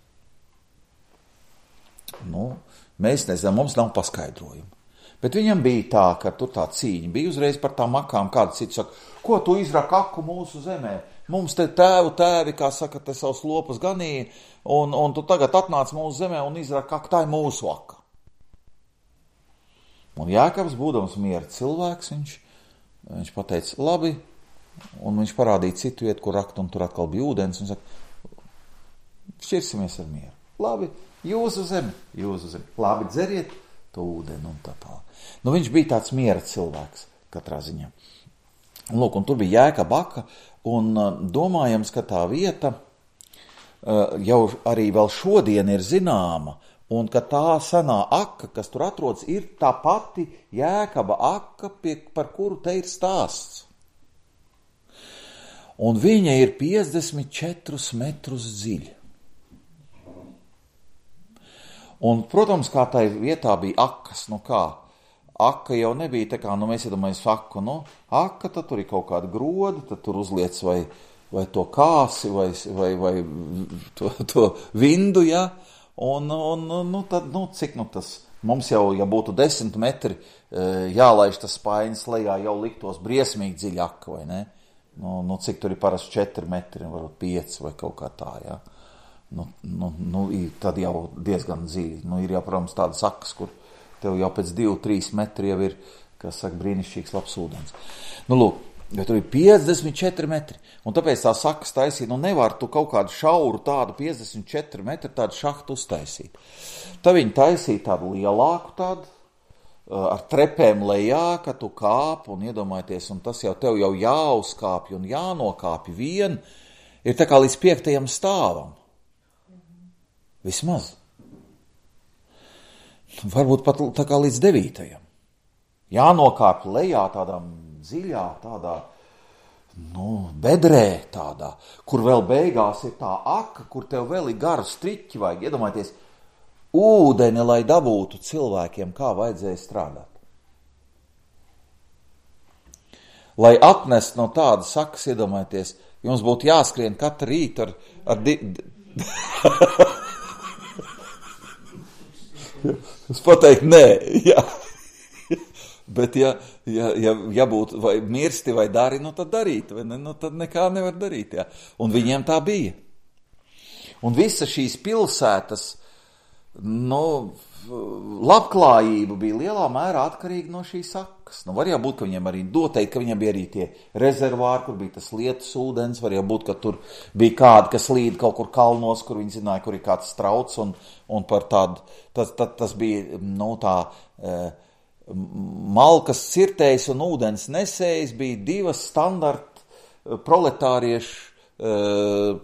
Nu, mēs nezinām, mums nav paskaidrojumu. Bet viņam bija tā, ka tur tā cīņa bija uzreiz par tām akām, kāda cits saka, ko tu izrak aku mūsu zemē? Mums te tēvu tēvi, kā saka, te savus lopus ganīja, un, un tu tagad atnāc mūsu zemē un izrak aku, tā ir mūsu aka. Un Jēkabs, būdams miera cilvēks, viņš, viņš pateica, labi, un viņš parādīja citu vietu, kur rakt, un tur atkal bija ūdens, un saka, šķirsimies ar mieru. Labi, jūsu zemi, jūsu zemi. Labi, dzeriet to ūdeni un tā tā. Nu, viņš bija tāds miera cilvēks katrā ziņā. Un, lūk, un tur bija Jēkaba aka, un domājams, ka tā vieta jau arī vēl šodien ir zināma, un ka tā senā aka, kas tur atrodas, ir tā pati Jēkaba aka, pie, par kuru te ir stāsts. Un viņa ir piecdesmit četrus metrus dziļa. Un, protams, kā tai vietā bija akas, nu kā, aka jau nebija tā kā, nu mēs iedomājamies aku, nu, aka, tad tur ir kaut kāda groda, tad tur uzliec vai, vai to kāsi, vai, vai, vai to, to vindu, ja, un, un, nu, tad, nu, cik, nu, tas, mums jau, ja būtu desmit metri, jālaiž tas spainis lejā, jau liktos briesmīgi dziļa aka, vai ne? Nu, nu, cik tur ir parasti četri metri, varbūt pieci vai kaut kā tā, jā. Nu, nu, nu, tad jau diezgan dziļi. Nu, ir jau, protams, tādas sakas, kur tev jau pēc divi, trīs metri jau ir, kas saka, brīnišķīgs labs ūdens. Nu, lūk, jo tur ir piecdesmit četri metri, un tāpēc tā sakas taisīt, nu, nevar tu kaut kādu šauru tādu piecdesmit četri metri tādu šahtu uztaisīt. Tad viņi taisīja tādu lielāku tādu, ar trepēm lejā, ka tu kāp un iedomājieties, un tas jau tev jau jāuzkāpj un jānokāpj vien, ir tā kā līdz piektajam stāvam. Vismaz. Varbūt pat tā kā līdz devītajam. Jānokāpj lejā tādām dziļā, tādā, nu, bedrē tādā, kur vēl beigās ir tā aka, kur tev vēl ir garu striķi vajag, iedomājieties, ūdeni, lai dabūtu cilvēkiem, kā vajadzēja strādāt. Lai atnest no tādas sakas, iedomājieties, jums būtu jāskrien katru rītu ar... ar di... es pateiktu, nē, jā. Bet ja, ja, ja, ja būtu vai mirsti vai dari, nu tad darīt, vai ne? Nu tad nekā nevar darīt, jā. Un viņiem tā bija. Un visa šīs pilsētas, nu, labklājība bija lielā mērā atkarīga no šīs sakas. rokas. Nu, var jau būt, ka viņiem arī doteikti, ka viņiem bija arī tie rezervāri, kur bija tas lietus ūdens, var jau būt, ka tur bija kādi, kas līd kaut kur kalnos, kur viņi zināja, kur ir kāds strauts, un, un par tādu, tas, tas, tas bija, nu, tā, e, malkas cirtējs un ūdens nesējs bija divas standarta proletāriešu e,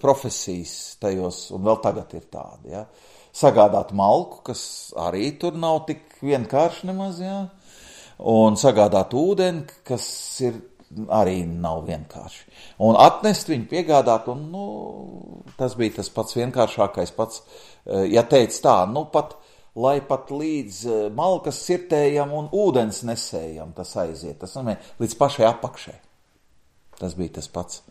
profesijas tajos, un vēl tagad ir tādi, ja. Sagādāt malku, kas arī tur nav tik vienkārši nemaz, jā, un sagādāt ūdeni, kas ir arī nav vienkārši. Un atnest viņu piegādāt, un, nu, tas bija tas pats vienkāršākais pats, ja teica tā, nu, pat, lai pat līdz malkas cirtējam un ūdens nesējam, tas aiziet, tas nozīmē līdz pašai apakšai. Tas bija tas pats.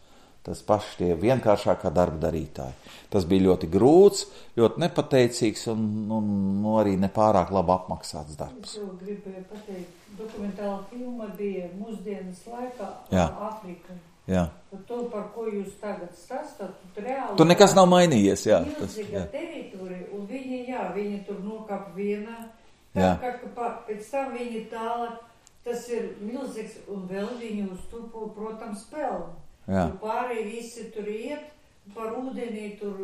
Tas paši tie vienkāršākā darba darītāji. Tas bija ļoti grūts, ļoti nepateicīgs un, un, un arī nepārāk labi apmaksāts darbs. Es jau gribēju pateikt, dokumentāla filma bija mūsdienas laikā Āfrika. Jā. To, par ko jūs tagad stāstat, tur reāli... Tur nekas nav mainījies, jā. Milzīga teritorija, un viņi, jā, viņi tur nokap vienā, tā kā, ka pēc tam viņi tālāk, tas ir milzīgs, un vēl viņi uz to, protams, pelna. Jā. Tur pārēj visi tur iet, par ūdenī tur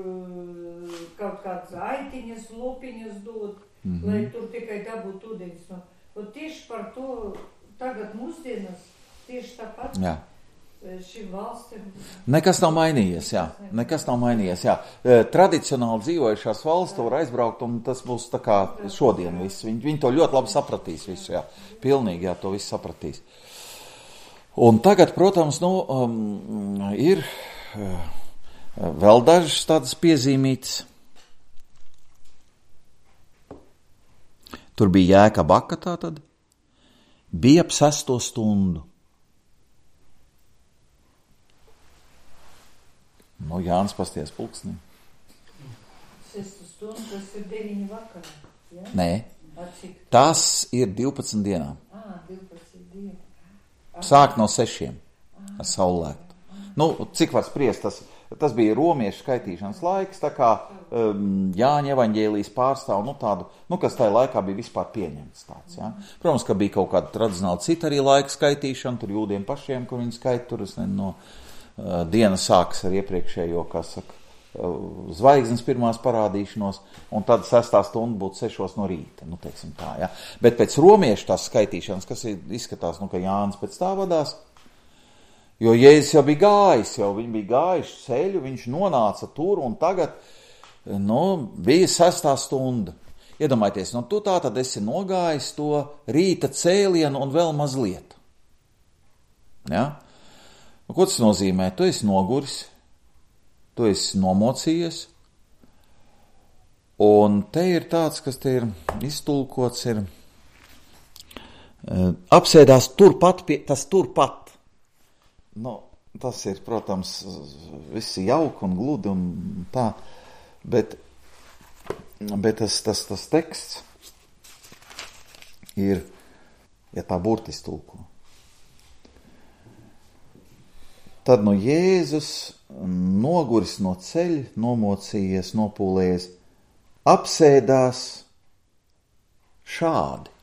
kaut kāds aitiņas, lopiņas dod, mm-hmm. lai tur tikai dabūt ūdeņas. No. Un tieši par to tagad mūsdienas, tieši tāpat jā. Šim valstim. Nekas nav mainījies, jā. Nekas nav mainījies, jā. Tradicionāli dzīvojušās valsts var aizbraukt, un tas būs tā kā šodien viss. Viņi, viņi to ļoti labi sapratīs visu, jā. Pilnīgi, jā, to visu sapratīs. Un tagad, protams, nu, um, ir uh, vēl dažas tādas piezīmītas. Tur bija jēka baka tātad. Bija ap sesto stundu. Nu, Jānis pasties pulksnī. Sestu stundu, tas ir deviņi vakarā, ja? Nē, tas ir divpadsmit dienām. Ā, divpadsmit dienām. Sāk no sešiem ar saulēktu. Nu, cik var spriest, tas, tas bija romiešu skaitīšanas laiks, tā kā um, Jāņa evaņģēlijas pārstāv, nu tādu, nu, kas tajā laikā bija vispār pieņemts tāds, jā. Protams, ka bija kaut kāda tradicionāla cita arī laika skaitīšana, tur jūdiem pašiem, kur viņi skaita, tur es nezinu, no uh, diena sākas ar iepriekšējo, kā saka, uh, zvaigznes pirmās parādīšanos, un tad sestā stunda būtu sešos no rīta, nu, teiksim tā, jā. Bet pēc romiešu tās skaitīšanas, kas ir, izskatās, nu, ka Jānis pēc tā vadās, jo Jēzus jau bija gājis, jau viņi bija gājuši ceļu, viņš nonāca tur, un tagad, nu, bija sestā stunda. Iedomājieties, nu, tu tā tad esi nogājis to rīta cēlienu un vēl mazliet. Ja? Nu, ko tas nozīmē? Tu esi noguris, tu esi nomocījies, un te ir tāds, kas te ir iztulkots, ir apsēdās turpat, pie, tas turpat. Nu, tas ir, protams, visi jauki un gludi un tā, bet, bet tas, tas, tas teksts ir, ja tā burtiski tulko. Tad no Jēzus noguris no ceļa, nomocījies, nopūlējies, apsēdās šādi.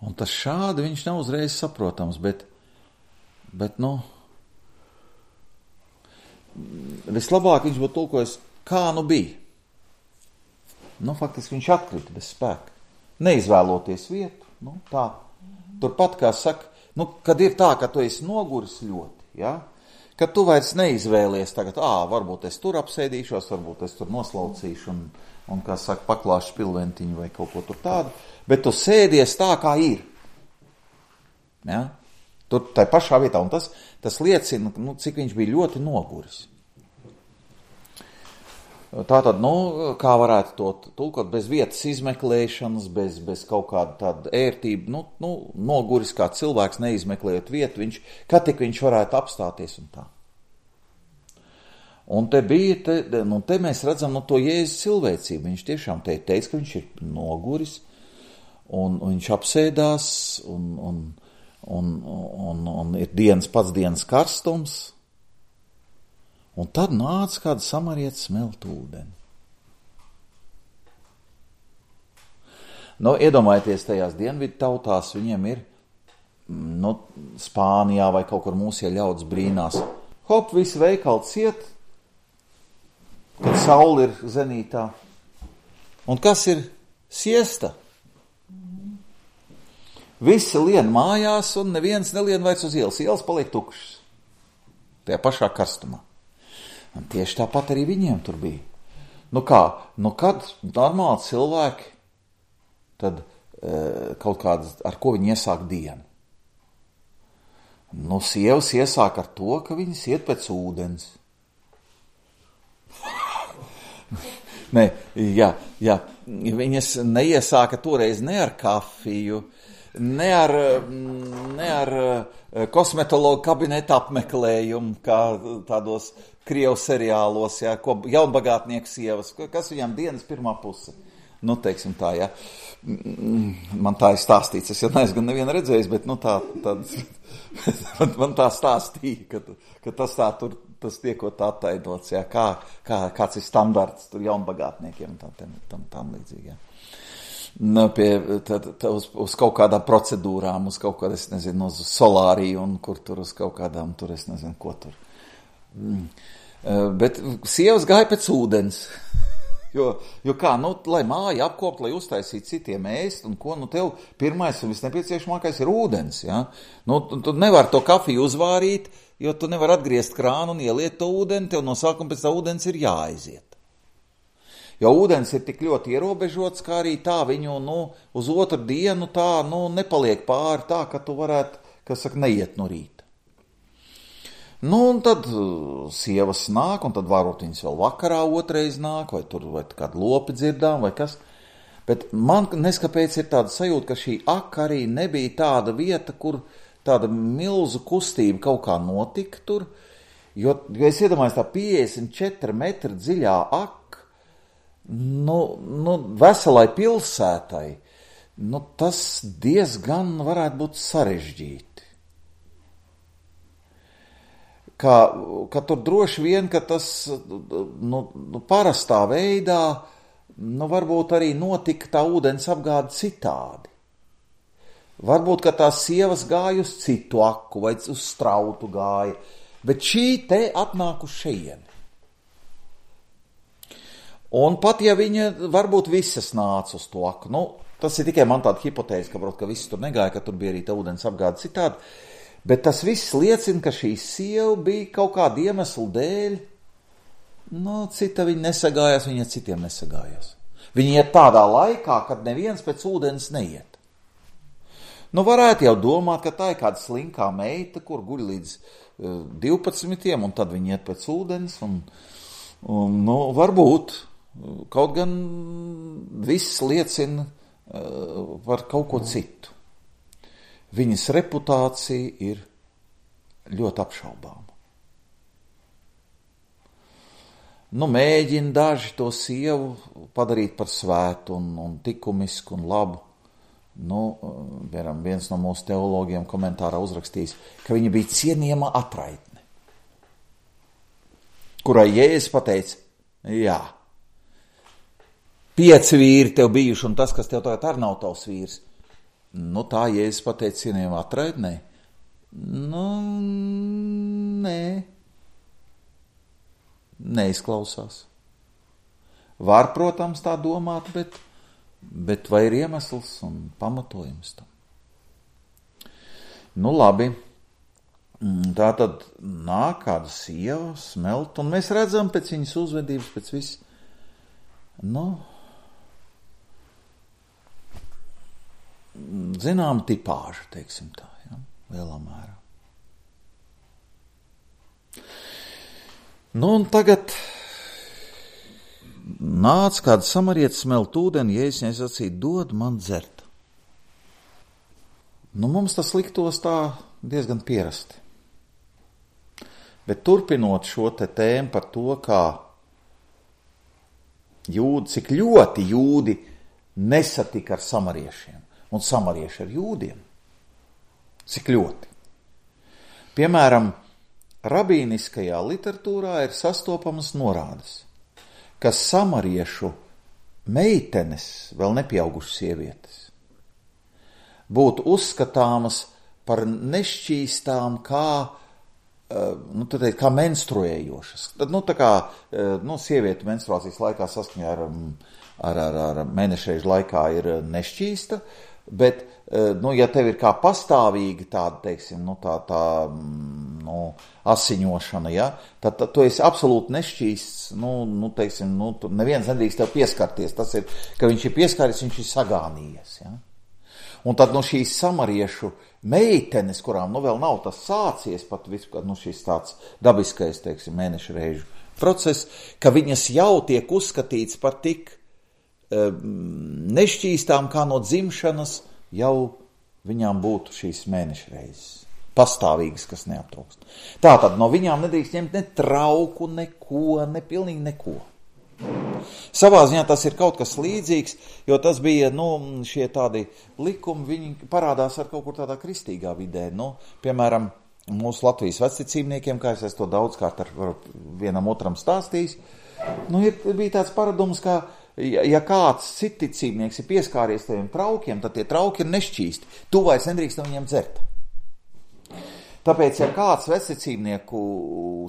Un tas šādi viņš nav uzreiz saprotams, bet, bet, nu, vislabāk viņš būtu tulkojis, kā nu bija. Nu, faktiski viņš atkrita bez spēka. Neizvēloties vietu, nu, tā. Turpat, kā saka, nu, kad ir tā, ka tu esi noguris ļoti, ja, kad tu vairs neizvēlies tagad, ā, varbūt es tur apsēdīšos, varbūt es tur noslaucīšu un, un kā saka, paklāšu pilventiņu vai kaut ko tur tādu, bet tu sēdies tā, kā ir. Ja? Tur tai pašā vietā, un tas, tas liecina, nu, cik viņš bija ļoti noguris. Tātad, nu, kā varētu to tulkot, bez vietas izmeklēšanas, bez, bez kaut kāda tāda ērtība, nu, nu, noguris kā cilvēks neizmeklējot vietu, viņš, kad tik viņš varētu apstāties un tā. Un te bija, te, nu, te mēs redzam, nu, to Jēzus cilvēcību, viņš tiešām te teica, ka viņš ir noguris, un, un viņš apsēdās, un, un, un, un, un ir dienas pats dienas karstums, un tad nāca kāda samarietis smelt ūdeni. Nu, iedomājieties, tajās dienvidu tautās viņiem ir, nu, Spānijā vai kaut kur mūsie ļauds brīnās. Hop, visi veikali ciet, kad saule ir zenītā. Un kas ir siesta? Visi lien mājās un neviens nelien vairs uz ielas. Ielas paliek tukšas. Tajā pašā karstumā. Un tieši tāpat arī viņiem tur bija. Nu kā, nu kad normāli cilvēki tad e, kaut kādas, ar ko viņi iesāk dienu? Nu, sievas iesāk ar to, ka viņas iet pēc ūdens. Nē, jā, jā, viņas neiesāka toreiz ne ar kafiju, ne ar, ne ar kosmetologu kabineta apmeklējumu, kā tādos Krievu seriālos, jā, ko jaunbagātnieku sievas, kas viņām dienas pirmā puse. Nu, teiksim tā, jā. Man tā ir stāstīts, es jau neesmu gan nevienu redzējis, bet, nu, tā, tā man, man tā stāstīja, ka, ka tas tā tur, tas tiekot attainots, jā, kā, kā, kāds ir standarts tur jaunbagātniekiem, tā, tam, tam, tam līdzīgi, jā. Nu, pie, tad, tad uz, uz kaut kādām procedūrām, uz kaut kādā, es nezinu, uz solāriju un kur tur uz kaut kādām, tur es nezinu, ko tur. Mm. Bet sievas gāja pēc ūdens. Jo, jo kā, nu, lai māja apkopt, lai uztaisītu citiem ēst, un ko, nu, tev pirmais un visnepieciešamākais ir ūdens, jā. Nu, tu, tu nevar to kafiju uzvārīt, jo tu nevar atgriezt krānu un ieliet to ūdeni, tev no sākuma pēc tā ūdens ir jāaiziet. Jo ūdens ir tik ļoti ierobežots, kā arī tā viņu, nu, uz otru dienu tā, nu, nepaliek pāri tā, ka tu varētu, kas saka, neiet no rīta. Nu, un tad sievas nāk, un tad varbūt viņas vēl vakarā otrais nāk, vai tur vai kādu lopi dzirdām, vai kas. Bet man neskapēc ir tāda sajūta, ka šī aka arī nebija tāda vieta, kur tāda milzu kustība kaut kā notika tur, jo, jo es iedomājos tā piecdesmit četri metri dziļā aka, nu, nu, veselai pilsētai, nu, tas diezgan varētu būt sarežģīti. Ka, ka tur droši vien, ka tas nu, nu, parastā veidā, nu, varbūt arī notika tā ūdens apgāde citādi. Varbūt, ka tās sievas gāja uz citu aku vai uz strautu gāja, bet šī te atnāk uz šejieni. Un pat ja viņa varbūt visas nāca uz to aku, nu, tas ir tikai man tāda hipotēze, ka, ka visi tur negāja, ka tur bija arī tā ūdens apgāde citādi, bet tas viss liecina, ka šī sieva bija kaut kāda iemesla dēļ, nu, cita viņa nesagājās, viņa citiem nesagājās. Viņa iet tādā laikā, kad neviens pēc ūdens neiet. Nu, varētu jau domāt, ka tā ir kāda slinkā meita, kur guļ līdz uh, divpadsmitiem, un tad viņa iet pēc ūdens, un, un nu, varbūt, kaut gan viss liecina uh, par kaut ko citu. Viņas reputācija ir ļoti apšaubāma. Nu, mēģina daži to sievu padarīt par svētu un, un likumisku un labu. Nu, viens no mūsu teologiem komentārā uzrakstījis, ka viņa bija cienījama atraitne, kurai Jēzus pateica, jā, pieci vīri tev bijuši, un tas, kas tev tagad arī nav tavs vīrs. Nu, tā Jēzus pateica cienījumā atraidnē. Nu, nē. Neizklausās. Var, protams, tā domāt, bet, bet vai ir iemesls un pamatojums tam? Nu, labi. Tā tad nāk kāda sieva, smelt, un mēs redzam pēc viņas uzvedības, pēc viss. Nu, zinām tipāžu, teiksim tā, ja, lielā mērā. Nu, un tagad nāc kāda samarietis smelt ūdeni, Jēzus viņai sacīja, dod man dzert. Nu, mums tas liktos tā diezgan pierasti. Bet turpinot šo te tēmu par to, kā jūdi, cik ļoti jūdi nesatika ar samariešiem. Un samarieši ar jūdiem. Cik ļoti. Piemēram, rabīniskajā literatūrā ir sastopamas norādes, ka samariešu meitenes, vēl nepieaugušas sievietes, būtu uzskatāmas par nešķīstām kā, nu, tad, kā menstruējošas. Tad, nu, tā kā, nu, sieviete menstruācijas laikā saskaņā ar, ar, ar, ar mēnešreižu laikā ir nešķīsta, bet, nu, ja tev ir kā pastāvīgi tāda, teiksim, nu, tā, tā, nu, asiņošana, ja, tad, tad tu esi absolūti nešķīsts, nu, nu, teiksim, nu, neviens nedrīkst tev pieskarties. Tas ir, ka viņš ir pieskāries, viņš ir sagānījies, ja. Un tad, nu, šīs samariešu meitenes, kurām, nu, vēl nav tas sācies, pat vispār, nu, šis tāds dabiskais, teiksim, mēnešu reižu process, ka viņas jau tiek uzskatīts par tik um, nešķīstām, kā no dzimšanas jau viņām būtu šīs mēnešu reizes. Pastāvīgas, kas neaptrūkst. Tātad no viņām nedrīkst ņemt ne trauku, neko, ne pilnīgi neko. Savā ziņā tas ir kaut kas līdzīgs, jo tas bija, nu, šie tādi likumi, viņi parādās ar kaut kur tādā kristīgā vidē. Nu, piemēram, mūsu Latvijas vecticībniekiem, kā es to daudzkārt ar vienam otram stāstījis, nu, ir, bija tāds paradums, ka, ja, ja kāds citicībnieks ir pieskāries teviem traukiem, tad tie trauki ir nešķīsti. Tu vairs nedrīkst no viņiem dzert. Tāpēc, ja kāds vecticībnieku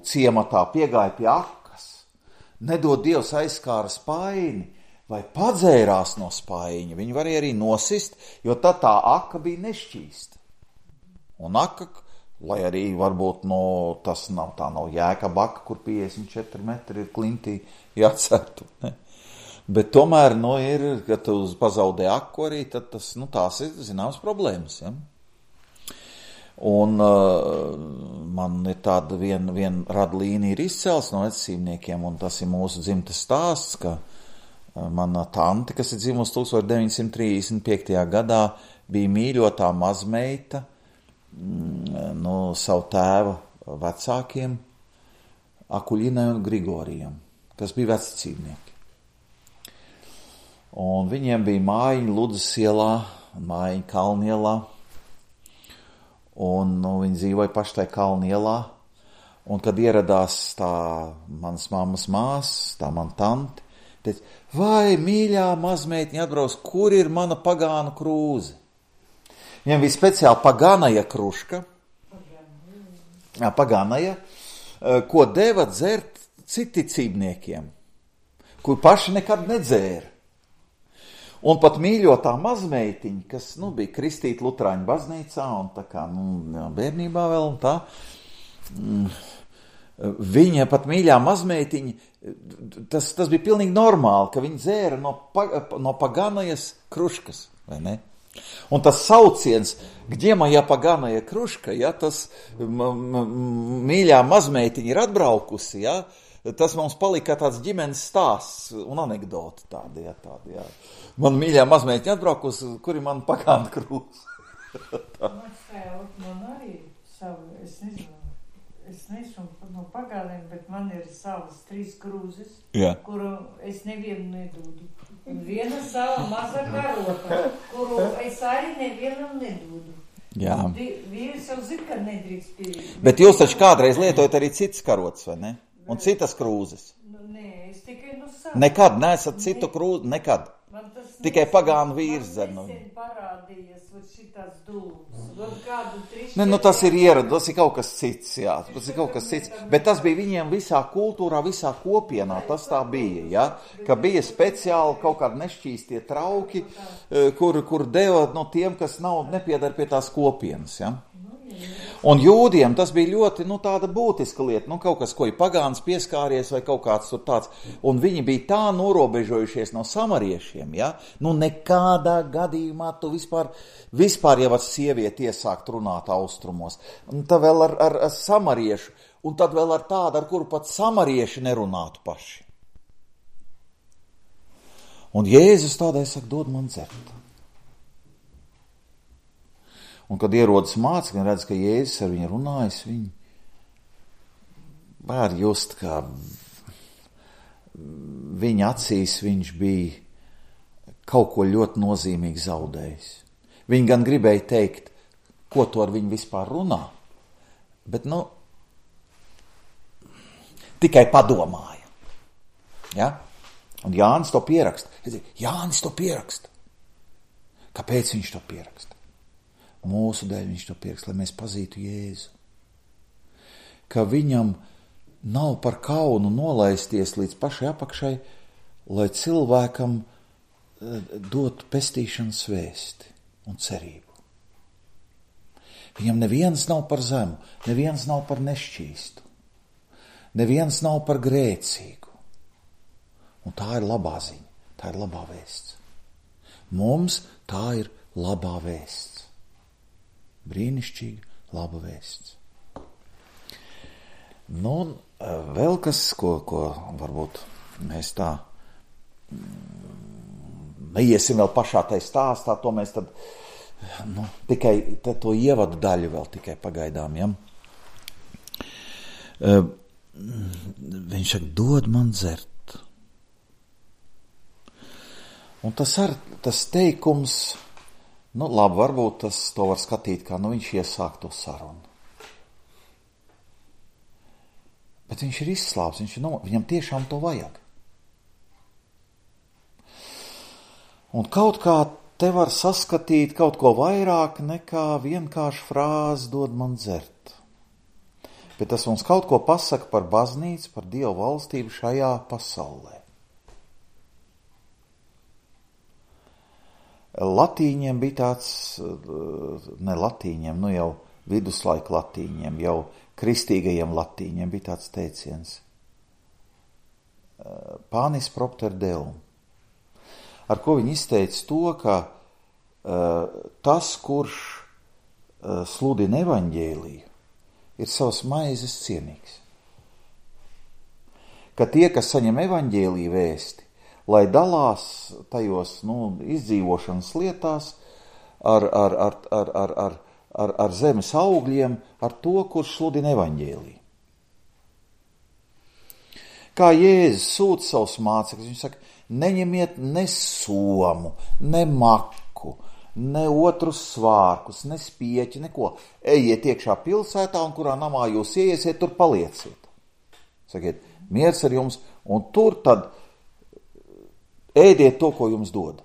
ciematā piegāja pie akas, nedod Dievs aizskāra spaini vai padzērās no spaiņa, viņi varēja arī nosist, jo tad tā aka bija nešķīsta. Un aka, lai arī varbūt no, tas nav, tā nav Jēkaba aka, kur piecdesmit četri metri ir klintī jācertu. Ne? Bet tomēr, nu, ir, kad tu pazaudē aku arī, tad tas, nu, tās ir zināmas problēmas, ja? Un uh, man ir tāda viena vien rada līnija ir izcels no vecīmniekiem, un tas ir mūsu dzimtas stāsts, ka uh, mana tante, kas ir dzimusi tūkstoš deviņi simti trīsdesmit piektajā gadā, bija mīļotā mazmeita mm, no savu tēva vecākiem, Akuļinai un Grigorijam, kas bija vecīmnieki. Un viņiem bija mājiņa Ludzas ielā, mājiņa Kalnielā, un nu, viņi dzīvoja paši tajā Kalnielā, un kad ieradās tā manas mammas māsas, tā man tanti, teica, vai mīļā mazmeitiņa atbrauc, kur ir mana pagānu krūze? Viņam bija speciāli pagānaja kruška, jā, pagānaja, ko deva dzert citicībniekiem, kur paši nekad nedzēra. Un pat mīļotā mazmeitiņa, kas, nu, bija kristīta Lutrāņu baznīcā, un tā kā, nu, bērnībā vēl, un tā, mm, viņa pat mīļā mazmeitiņa, tas, tas bija pilnīgi normāli, ka viņa dzēra no, no paganajas kruškas, vai ne? Un tas sauciens, gģemaja paganaja kruška, ja, tas m, m, mīļā mazmeitiņa ir atbraukusi, ja, tas mums palika tāds ģimenes stāsts un anekdoti tādi, ja, tādi, jā. Man mīļā mazmeitiņa atbraukusi, kuri man pagāna krūze. Man sēlt, man arī savu, es nezinu, es neesmu no pagāniem, bet man ir savas trīs krūzes, jā, kuru es nevienu nedūdu. Un viena sava maza karota, kuru es arī nevienam nedūdu. Jā. Vīrs jau zina, ka nedrīkst pie... Bet jūs taču kādreiz lietojat arī citas karotas, vai ne? Un citas krūzes? Nu, nē, es tikai no savas. Nekad neesat citu krūzi, nekad. Tikai pagānu vīrs dzer. Man nesen parādījies šitās dūmas. Ne, nu tas ir ierad, tas ir kaut kas cits, jā, tas ir kaut kas cits. Bet tas bija viņiem visā kultūrā, visā kopienā, tas tā bija, jā. Ka bija speciāli kaut kādi nešķīstie trauki, kur, kur deva no tiem, kas nav nepiedar pie tās kopienas, jā. Un jūdiem tas bija ļoti, nu, tāda būtiska lieta, nu, kaut kas, ko ir pagāns pieskāries vai kaut kāds tur tāds, un viņi bija tā norobežojušies no samariešiem, ja, nu, nekādā gadījumā tu vispār, vispār jau ar sievieti iesākt runāt austrumos, un tad vēl ar, ar, ar samariešu, un tad vēl ar tādu, ar kuru pat samarieši nerunātu paši. Un Jēzus tādai saka, dod man dzert. Un, kad ierodas mācekļi un redz, ka Jēzus ar viņu runājas, viņi var just, kā viņa acīs viņš bija kaut ko ļoti nozīmīgi zaudējis. Viņi gan gribēja teikt, ko to ar viņu vispār runā, bet, nu, tikai padomāja. Ja? Un Jānis to pieraksta. Jānis to pieraksta. Kāpēc viņš to pieraksta? Mūsu dēļ viņš to pieraksta, lai mēs pazītu Jēzu. Ka viņam nav par kaunu nolaisties līdz pašai apakšai, lai cilvēkam dot pestīšanas vēsti un cerību. Viņam neviens nav par zemu, neviens nav par nešķīstu, neviens nav par grēcīgu. Un tā ir labā ziņa, tā ir labā vēsts. Mums tā ir labā vēsts. Brīnišķīga laba vēsts. Nu, vēl kas, ko, ko varbūt mēs tā neiesim vēl pašā tai stāstā, to mēs tad, nu, tikai to ievadu daļu vēl tikai pagaidām, ja? Uh, viņš saka, dod man dzert. Un tas ar, tas teikums, nu, labi, varbūt tas to var skatīt, kā, nu, viņš iesāk to sarunu. Bet viņš ir izslāps, viņš ir no, viņam tiešām to vajag. Un kaut kā te var saskatīt kaut ko vairāk nekā vienkārši frāzi dod man dzert. Bet tas mums kaut ko pasaka par baznīcu, par Dievu valstību šajā pasaulē. Latīņiem bija tāds, ne latīņiem, nu jau viduslaika latīņiem, jau kristīgajiem latīņiem bija tāds teiciens. Panis propter deum. Ar ko viņi izteica to, ka uh, tas, kurš uh, sludina evaņģēliju, ir savas maizes cienīgs. Ka tie, kas saņem evaņģēliju vēsti, lai dalās tajos, nu, izdzīvošanas lietās ar, ar, ar, ar, ar, ar, ar, ar zemes augļiem, ar to, kurš sludina evaņģēliju. Kā Jēzus sūta savus mācekļus, viņš saka, neņemiet ne somu, ne maku, ne otrus svārkus, ne spieķi, neko. Ejiet iekšā pilsētā, un kurā namā jūs ieiesiet, tur palieciet. Sakiet, miers ar jums, un tur tad ēdiet to, ko jums dod.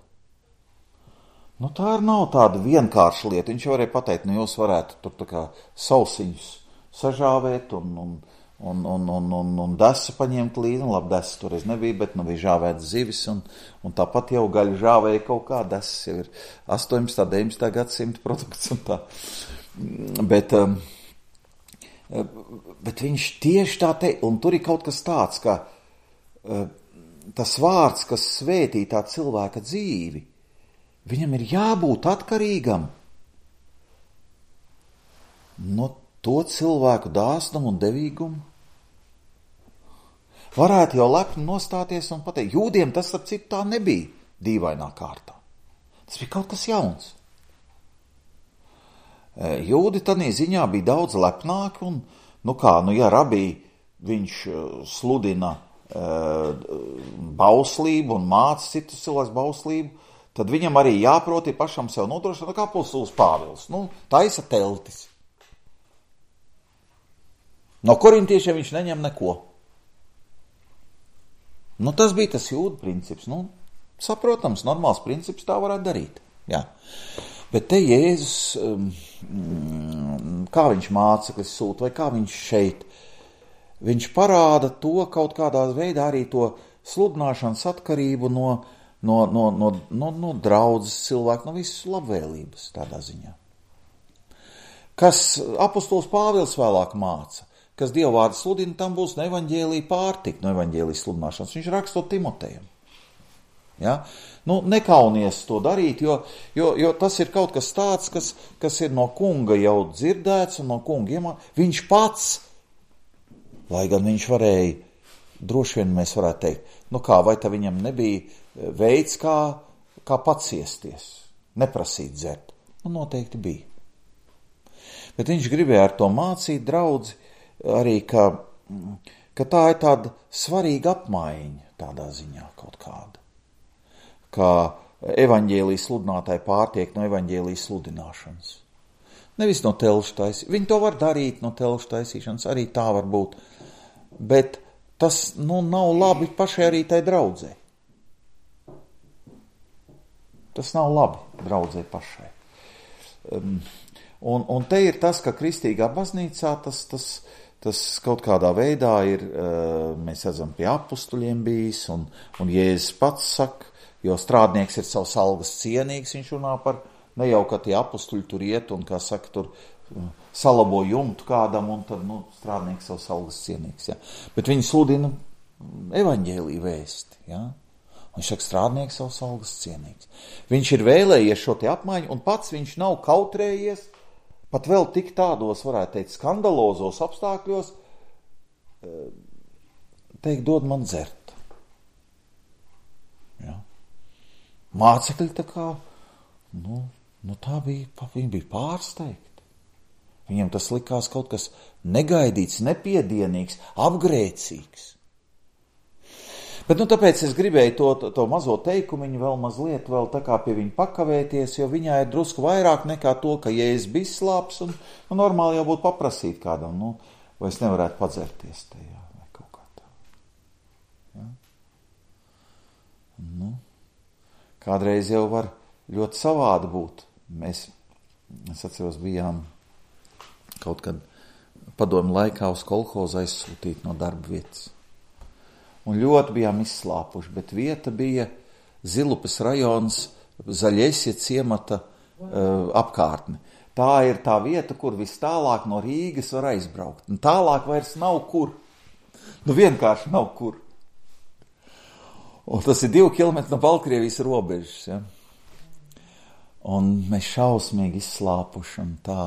Nu, tā ir nav tāda vienkārša lieta. Viņš varēja pateikt, nu, jūs varētu tur tā kā sausiņus sažāvēt un, un, un, un, un, un, un desu paņemt līdzi. Un, labi, desu toreiz nebija, bet nu bija žāvēts zivis, un, un tāpat jau gaļu žāvēja kaut kā. Desas jau ir astoņpadsmitā, deviņpadsmitā gadsimta produkts un tā. Bet, um, bet viņš tieši tā te, un tur ir kaut kas tāds, ka uh, tas vārds, kas svētī tā cilvēka dzīvi, viņam ir jābūt atkarīgam no to cilvēku dāsnumu un devīgumu. Varētu jau lepni nostāties un pateikt, jūdiem tas ap citu tā nebija dīvainā kārtā. Tas bija kaut kas jauns. Jūdi tanī ziņā bija daudz lepnāki un, nu kā, nu ja rabī viņš sludina bauslību un māca citus cilvēkus bauslību, tad viņam arī jāprot ir pašam sev nodrošināt, kā apostols Pāvils. Nu, taisa teltis. No korintiešiem viņš neņem neko. Nu, tas bija tas jūdu princips. Nu, saprotams, normāls princips, tā varētu darīt. Jā. Bet te Jēzus, kā viņš māceklis sūta, vai kā viņš šeit, viņš parāda to kaut kādā veidā arī to sludināšanas atkarību no, no, no, no, no, no draudzes cilvēku, no visas labvēlības tādā ziņā. Kas apostols Pāvils vēlāk māca, kas dievvvārdu sludina, tam būs no evaņģēlija pārtika, no evaņģēlija sludināšanas. Viņš raksta Timotejam. Ja? Nu, nekaunies to darīt, jo, jo, jo tas ir kaut kas tāds, kas, kas ir no kunga jau dzirdēts un no kunga iemācīts. Viņš pats, lai gan viņš varēja, droši vien mēs varētu teikt, nu kā, vai tā viņam nebija veids, kā, kā paciesties, neprasīt dzert? Nu, noteikti bija. Bet viņš gribēja ar to mācīt draudzi arī, ka, ka tā ir tāda svarīga apmaiņa tādā ziņā kaut kāda. Kā evaņģēlijas sludinātāji pārtiek no evaņģēlijas sludināšanas. Nevis no telšu taisīšanas. Viņi to var darīt no telšu taisīšanas, arī tā var būt. Bet tas, nu, nav labi pašai arī tai draudzē. tas nav labi draudzē pašai. Um, un, un te ir tas, ka kristīgā baznīcā tas, tas, tas kaut kādā veidā ir, uh, mēs redzam, pie apustuļiem bijis, un, un Jēzus pats saka, jo strādnieks ir savs algas cienīgs, viņš runā par, ne jau, ka tie apustuļi tur iet un, kā saka, tur uh, salabo jumtu kādam, un tad, nu, strādnieks savs algas cienīgs, ja. Bet viņi sludina evaņģēliju vēsti, ja. Viņš saka, strādnieks savs algas cienīgs. Viņš ir vēlējies šo te apmaiņu, un pats viņš nav kautrējies, pat vēl tik tādos, varētu teikt, skandalozos apstākļos, teikt, dod man dzert. Ja. Mācekļi tā kā, nu, nu tā bija, viņi bija pārsteigti. Viņiem tas likās kaut kas negaidīts, nepiedienīgs, apgrēcīgs. Bet, nu, tāpēc es gribēju to, to, to mazo teikumiņu vēl mazliet vēl tā kā pie viņa pakavēties, jo viņā ir drusku vairāk nekā to, ka Jēzus bija slāps, un, un normāli jau būtu paprasīt kādam, nu, vai es nevarētu padzerties tajā, vai kaut kā tā. Ja? Nu, kādreiz jau var ļoti savādi būt. Mēs, es atceros, bijām kaut kad padomu laikā uz kolhozu aizsūtīt no darba vietas. Un ļoti bijām izslāpuši, bet vieta bija Zilupes rajons Zaļesie ciemata uh, apkārtne. Tā ir tā vieta, kur vis tālāk no Rīgas var aizbraukt. Un tālāk vairs nav kur. Nu vienkārši nav kur. Un tas ir divi kilometri no Baltkrievijas robežas. Ja? Un mēs šausmīgi izslāpuši un tā.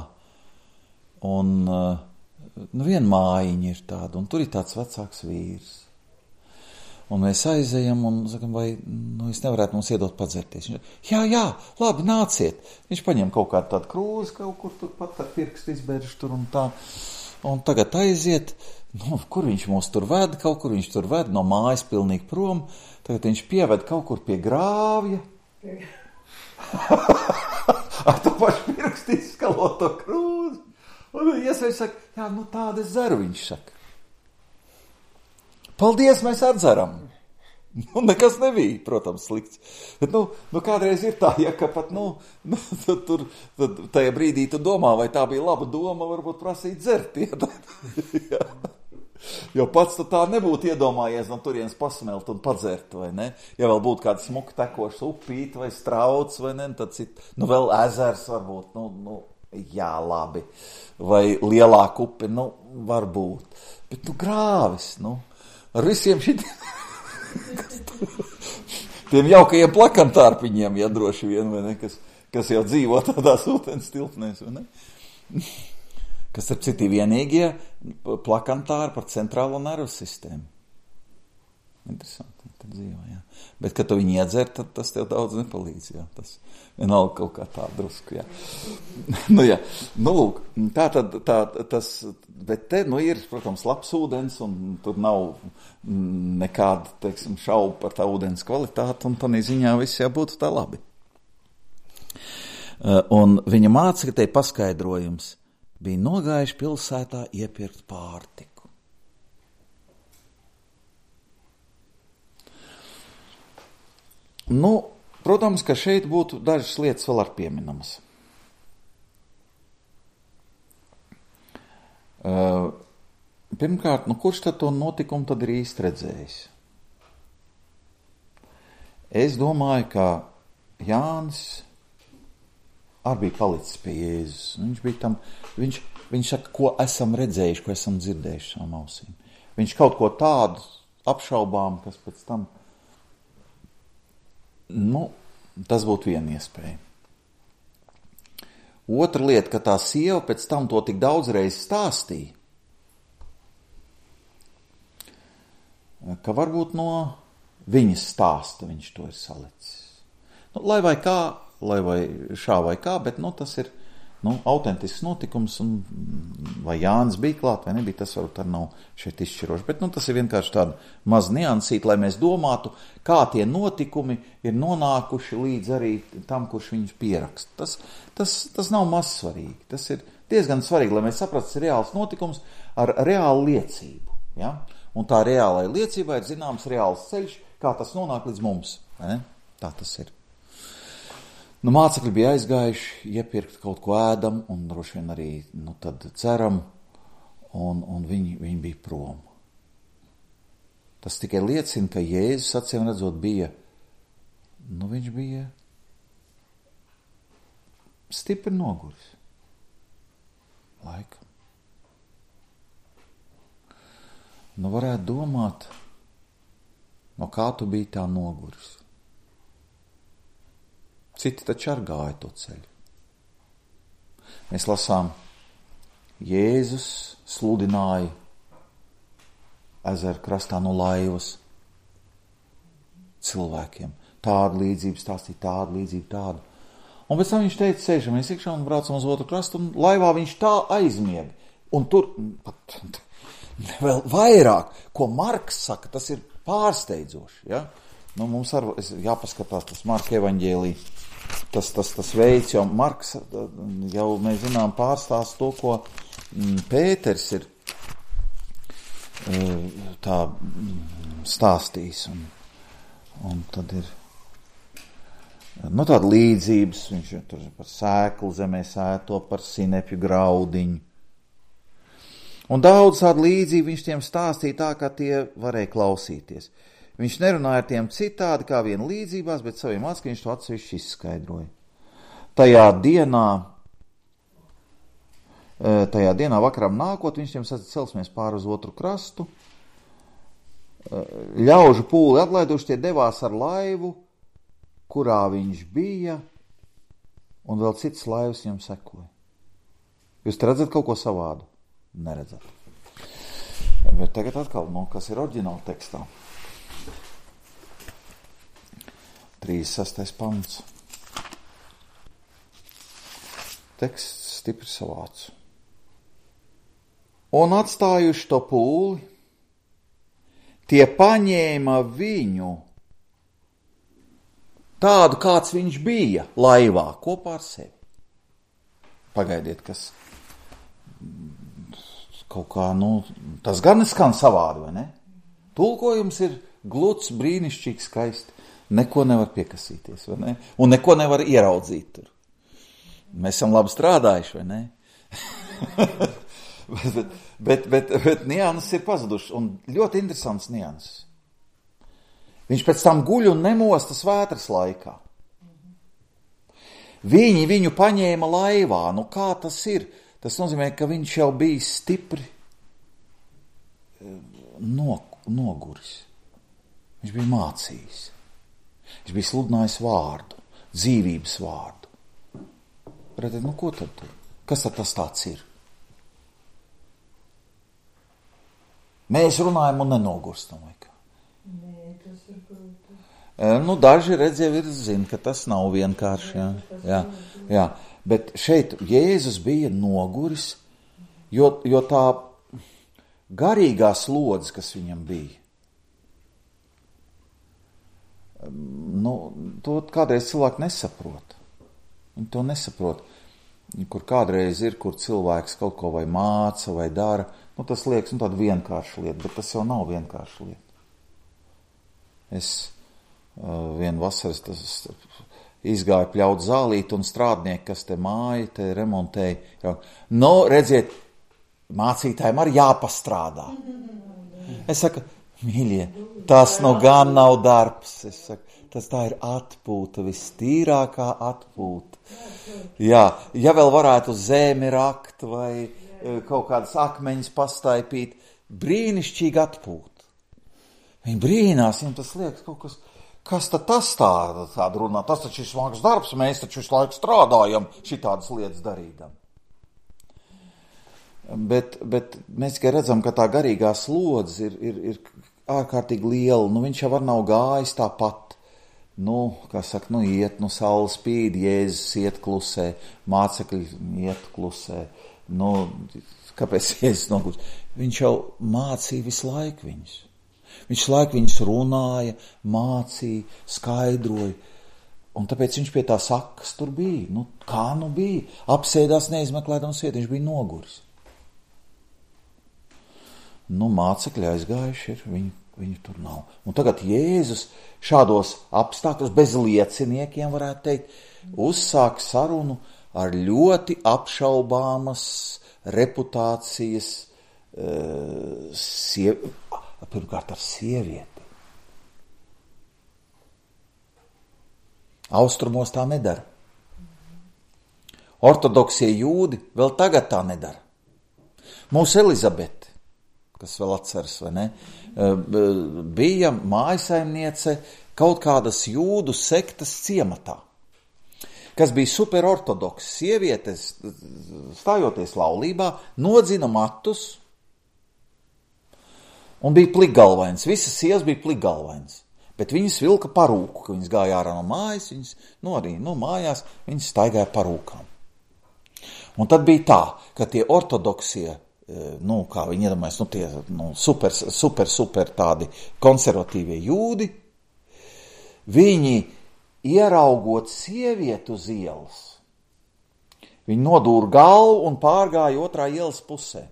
Un uh, nu viena mājiņa ir tāda, un tur ir tāds vecāks vīrs. Un mēs aizejam un sakam, vai nu, es nevarētu mums iedot padzerties. Viņš, jā, jā, labi, nāciet. Viņš paņem kaut kādu tādu krūzi, kaut kur tur pat ar pirkstu izbērž tur un tā. Un tagad aiziet, nu, kur viņš mūs tur ved, kaut kur viņš tur ved, no mājas pilnīgi prom. Tagad viņš pieved kaut kur pie grāvja. Ar to pašu pirkstu izskalot to krūzi. Un iesveic saka, jā, nu tāda es dzeru, viņš saka. Paldies, mēs atdzeram. Nu, nekas nebija, protams, slikts. Bet, nu, nu, kādreiz ir tā, ja, ka pat, nu, nu tur, tad tajā brīdī tu domā, vai tā bija laba doma, varbūt prasīt dzert. Ja. Jo pats tu tā nebūtu iedomājies no turienes pasmelt un padzert, vai ne? Ja vēl būtu kāds smuki tekošs upīt vai strauts, vai ne, tad cit, nu, vēl ezers varbūt, nu, nu, jā, labi. Vai lielāka upe, nu, varbūt. Bet, nu, grāvis, nu. Ar visiem šitiem tiem jaukajiem plakantārpiņiem, ja droši vien, vai ne, kas, kas jau dzīvo tādās ūdens tilpnēs, vai ne? Kas ar citi vienīgie plakantāri par centrālo nervu sistēmu. Interesanti, tad dzīvo, jā. Bet, kad tu viņu iedzer, tad tas tev daudz nepalīdz, jā. Tas vienalga kaut kā tā drusku, jā. Nu, jā, nu, lūk, tā tad, tā, tas, bet te, nu, ir, protams, labs ūdens, un tur nav nekāda, teiksim, šaubu par tā ūdens kvalitāti, un tādā ziņā viss jābūt tā labi. Un viņa māca, ka te paskaidrojums bija nogājuši pilsētā iepirkt pārtiku. Nu, protams, ka šeit būtu dažas lietas vēl ar pieminamas. Uh, pirmkārt, nu, kurš tad to notikumu tad ir īsti redzējis? Es domāju, ka Jānis arī bija palicis pie Jēzus. Viņš bija tam, viņš, viņš saka, ko esam redzējuši, ko esam dzirdējuši savām ausīm. Viņš kaut ko tādu apšaubām, kas pēc tam, nu, tas būtu viena iespēja. Otra lieta, ka tā sieva pēc tam to tik daudz reiz stāstīja, ka varbūt no viņas stāsta viņš to ir salicis. Nu, lai vai kā, lai vai šā vai kā, bet nu, tas ir nu, autentisks notikums, un vai Jānis bija klāt vai nebija, tas varbūt arī nav šeit izšķiroši. Bet nu, tas ir vienkārši tāda maz niansīt, lai mēs domātu, kā tie notikumi ir nonākuši līdz arī tam, kurš viņus pieraksta. Tas, tas, tas nav maz svarīgi. Tas ir diezgan svarīgi, lai mēs saprastu, tas ir reāls notikums ar reālu liecību. Ja? Un tā reālai liecībai ir zināms reāls ceļš, kā tas nonāk līdz mums. Ne? Tā tas ir. Nu, mācekļi bija aizgājuši iepirkt kaut ko ēdam un droši vien arī, nu, tad ceram, un, un viņi, viņi bija prom. Tas tikai liecina, ka Jēzus, acīm redzot, bija, nu, viņš bija stipri noguris. Laikam. Nu, varētu domāt, no kā tu biji tā noguris. Citi taču ar gāja to ceļu. Mēs lasām, Jēzus sludināja ezeru krastā no laivas cilvēkiem. Tādu līdzību stāstīja, tādu līdzību, tādu. Un pēc tam viņš teica, sēžamies iekšā un braucam uz otru krastu, un laivā viņš tā aizmiega. Un tur pat vēl vairāk, ko Marks saka, tas ir pārsteidzoši. Ja? Nu, mums ar, jāpaskatās tas Marka evaņģēlī, tas, tas, tas veids, jo Marks jau, mēs zinām, pārstāst to, ko Pēters ir tā stāstījis. Un, un tad ir nu, tāda līdzības, viņš tur par sēklu zemē sēto, par sinepju graudiņu. Un daudz tādu līdzību viņš tiem stāstīja tā, kā tie varēja klausīties. Viņš nerunāja ar tiem citādi kā vien līdzībās, bet saviem ackļiem viņš to atsevišķi izskaidroja. Tajā dienā, tajā dienā vakaram nākot, viņš tiem sacīja, celsimies pāri uz otru krastu. Ļaužu pūli atlaiduši, tie devās ar laivu, kurā viņš bija, un vēl cits laivas viņam sekoja. Jūs te redzat kaut ko savādu? Neredzat. Bet tagad atkal, no, kas ir oriģināli tekstā. trīsdesmit sestais pants. Teksts stipri savāds. Un atstājuši to pūli, tie paņēma viņu tādu, kāds viņš bija laivā, kopā ar sevi. Pagaidiet, kas kaut kā, nu, tas gan skan savādi, vai ne? Tulkojums ir gluds, brīnišķīgs, skaisti. Neko nevar piekasīties, vai ne? Un neko nevar ieraudzīt tur. Mēs esam labi strādājuši, vai ne? bet, bet, bet, bet nianses ir pazudušas, un ļoti interesants nianses. Viņš pēc tam guļ un nemostas vētras laikā. Viņi viņu paņēma laivā. Nu kā tas ir? Tas nozīmē, ka viņš jau bija stipri noguris. Viņš bija mācījis. Viņš bija sludinājis vārdu, dzīvības vārdu. Redzēt, nu ko tad? Kas tad tas tāds ir? Mēs runājam un nenogurstam, vai kā? Nē, tas ir grūti. Nu, daži redz jau ir zina, ka tas nav vienkārši. Jā, jā, jā. Bet šeit Jēzus bija noguris, jo, jo tā garīgā slodze, kas viņam bija, nu, to kādreiz cilvēki nesaprot. Viņi to nesaprot. Kur kādreiz ir, kur cilvēks kaut ko vai māca vai dara, nu, tas liekas, nu, tāda vienkārša lieta, bet tas jau nav vienkārša lieta. Es uh, vienu vasaras tas, izgāju pļaut zālīt un strādnieki, kas te māja, te remontēja. Nu, redziet, mācītājiem arī jāpastrādā. Es saku, mīļie, tas nu gan nav darbs. Es saku, tas tā ir atpūta, vistīrākā atpūta. Jā, ja vēl varētu zemi rakt vai kaut kādas akmeņas pastaipīt, brīnišķīgi atpūta. Viņi brīnās, viņam tas liekas kaut kas, kas tad tas tāda, tāda runā, tas taču ir smags darbs, mēs taču visu laiku strādājam šitādas lietas darīdam. Bet, bet mēs tikai redzam, ka tā garīgā slodze ir, ir, ir ārkārtīgi liela, nu viņš jau var nav gājis tāpat. Nu, kā saka, nu iet, nu saule spīd, Jēzus iet klusē, mācekļi iet klusē. Nu, kāpēc Jēzus noguļ? Viņš jau mācīja visu laiku viņus. Viņš laiku viņus runāja, mācīja, skaidroja. Un tāpēc viņš pie tā sakas tur bija. Nu, kā nu bija? Apsēdās neizmeklēdams vietu, viņš bija noguris. Nu, mācekļi aizgājuši ir, viņi Viņu tur nav. Un tagad Jēzus šādos apstākļos bez lieciniekiem, varētu teikt, uzsāk sarunu ar ļoti apšaubāmas reputācijas uh, siev... pirmkārt ar sievieti. Austrumos tā nedara. Ortodoksie jūdi vēl tagad tā nedara. Mūsu Elizabete, kas vēl atceras, vai ne, bija mājasaimniece kaut kādas jūdu sektas ciematā, kas bija superortodoks. Sievietes, stājoties laulībā, nodzina matus un bija plikgalvains. Visas sievas bija plikgalvains, bet viņas vilka parūku, ka viņas gāja ārā no mājas, viņas, nu arī no mājās, viņas staigāja parūkām. Un tad bija tā, ka tie ortodoksie, nu, kā viņi iedomājas, nu, tie nu, super, super, super tādi konservatīvie jūdi, viņi ieraugot sievieti uz ielas, viņi nodūra galvu un pārgāja otrā ielas pusē.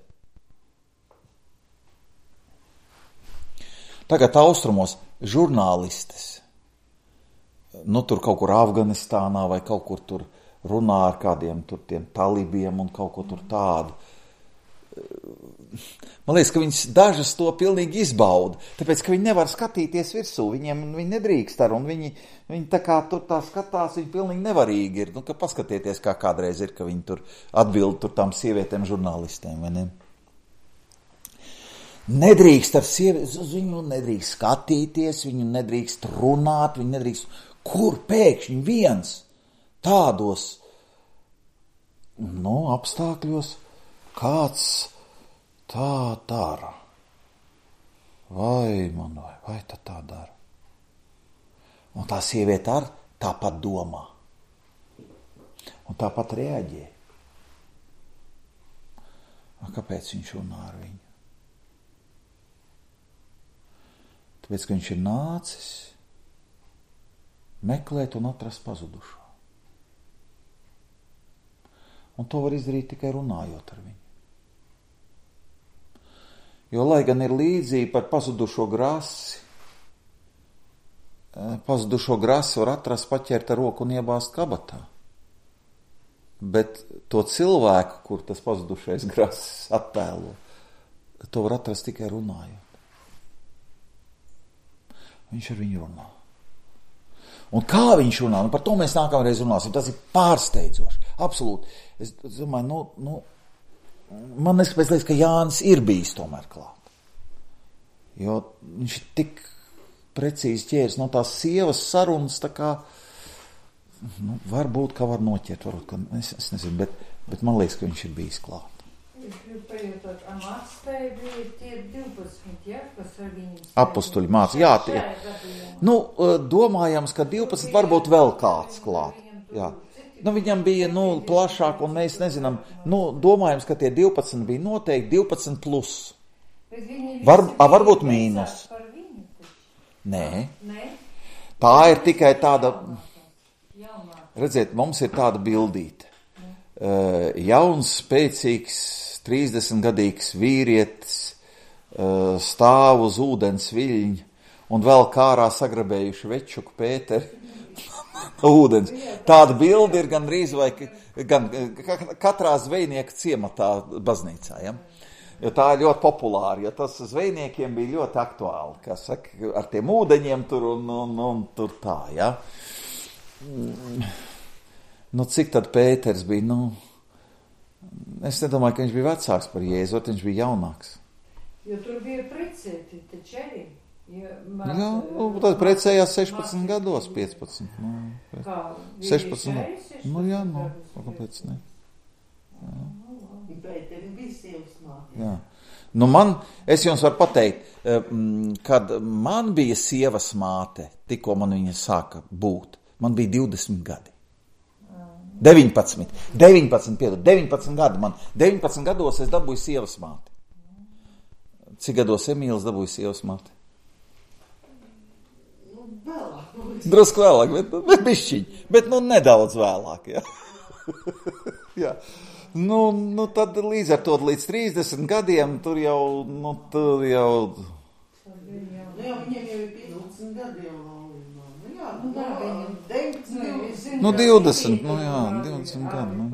Tagad austrumos žurnālistes, nu, tur kaut kur Afganistānā vai kaut kur tur runā ar kādiem tur tiem talibiem un kaut ko tur tādu. Man liekas, ka viņas dažas to pilnīgi izbauda, tāpēc, ka viņi nevar skatīties virsū, viņiem viņi nedrīkst ar, un viņi, viņi tā kā tur tā skatās, viņi pilnīgi nevarīgi ir. Nu, ka paskatieties, kā kādreiz ir, ka viņi tur atbild tur tām sievietēm žurnālistēm, vai ne? Nedrīkst ar sievieti, viņu nedrīkst skatīties, viņu nedrīkst runāt, viņu nedrīkst, kur pēkšņi viens tādos, nu, apstākļos kāds tā dara. Vai man vai, vai tā tā dara? Un tā sieviete ar tāpat domā. Un tāpat reaģē. A, kāpēc viņš runā ar viņu? Tāpēc, ka viņš ir nācis meklēt un atrast pazudušo. Un to var izdarīt tikai runājot ar viņu. Jo, lai gan ir līdzība par pazudušo grasi, pazudušo grasi var atrast, paķert ar roku un iebāzt kabatā. Bet to cilvēku, kur tas pazudušais grasis attēlo, to var atrast tikai runājot. Viņš ar viņu runā. Un kā viņš runā, nu par to mēs nākamreiz runāsim, tas ir pārsteidzoši, absolūti. Es domāju, nu, nu man neskapēc liekas, ka Jānis ir bijis tomēr klāt. Jo viņš ir tik precīzi ķēris no tās sievas sarunas, tā kā, nu, varbūt, ka var noķert, varbūt, ka, es, es nezinu, bet, bet man liekas, ka viņš ir bijis klāt. Es gribu pajautot, a mācītāji bija tie divpadsmit, ja, kas ar viņu... Apustuļi māca, jā, tie. Nu, domājams, ka divpadsmit varbūt vēl kāds klāt, jā. Nu, viņam bija, nu, plašāk, un mēs nezinām, nu, domājams, ka tie divpadsmit bija noteikti divpadsmit plus. Var, a, varbūt mīnus. Nē. Tā ir tikai tāda, redziet, mums ir tāda bildīte. Uh, jauns, spēcīgs, trīsdesmitgadīgs vīrietis uh, stāv uz ūdens viļņa un vēl kārā sagrabējuši večuku Pēteri. Ūdens. Tāda bilde ir gan drīz vai gan katrā zvejnieka ciematā baznīcā, ja? Jo tā ir ļoti populāra, jo tas zvejniekiem bija ļoti aktuāli, kā saka, ar tiem ūdeņiem tur un, un, un tur tā, ja? Nu, cik tad Pēters bija, nu, es nedomāju, ka viņš bija vecāks par Jēzu, viņš bija jaunāks. Jo tur bija precēti, taču arī. Ja, māc, jā, nu, tad precējās sešpadsmit māc, gados, piecpadsmit. Nu, kā? sešpadsmit, nu jā, nu, kāpēc ne? Jā. Jā. Nu man, es jums varu pateikt, kad man bija sievas māte, tikko man viņa sāka būt, man bija divdesmit gadi. deviņpadsmit, deviņpadsmit, piedod, deviņpadsmit gadi man, deviņpadsmit gados es dabūju sievas māti. Cik gados Emīls dabūja sievas māti? Drusku vēlāk, bet, bet bišķiņ, bet nu nedaudz vēlāk, jā. jā. Nu, nu tad līdz ar to līdz trīsdesmit gadiem tur jau, nu tur jau, Nu jā, viņiem jau ir piecpadsmit gadi jau laulībā. Nu jā, Nu tā, viņam- deviņdesmit, Nu, divdesmit, nu jā, divdesmit gadi, nu.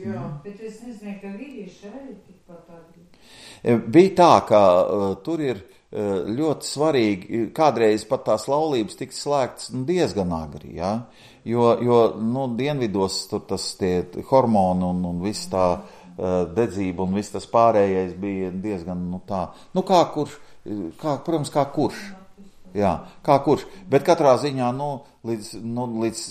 Jā. Bet es nezinu, ka vīrieši arī tikpat agri. Bija tā, ka uh, tur ir uh, ļoti svarīgi, kādreiz pat tās laulības tika slēgtas nu, diezgan agri, ja? jo, jo nu, dienvidos tur tas tie hormoni un, un viss tā uh, dedzība un viss tas pārējais bija diezgan, nu tā, nu kā kurš, kā, protams, kā kurš, jā, kā kurš, bet katrā ziņā, nu, līdz, nu, līdz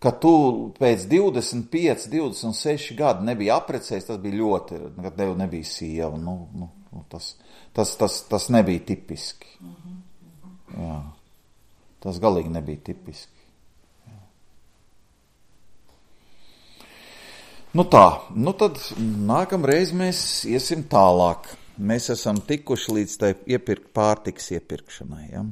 ka tu pēc divdesmit pieci, divdesmit seši gadi nebija apprecējis, tas bija ļoti, kad tev nebija sieva, nu, nu, tas, tas, tas, tas nebija tipiski. Jā, tas galīgi nebija tipiski. Jā. Nu tā, nu tad nākamreiz mēs iesim tālāk. Mēs esam tikuši līdz tai iepirkt pārtikas iepirkšanai, ja?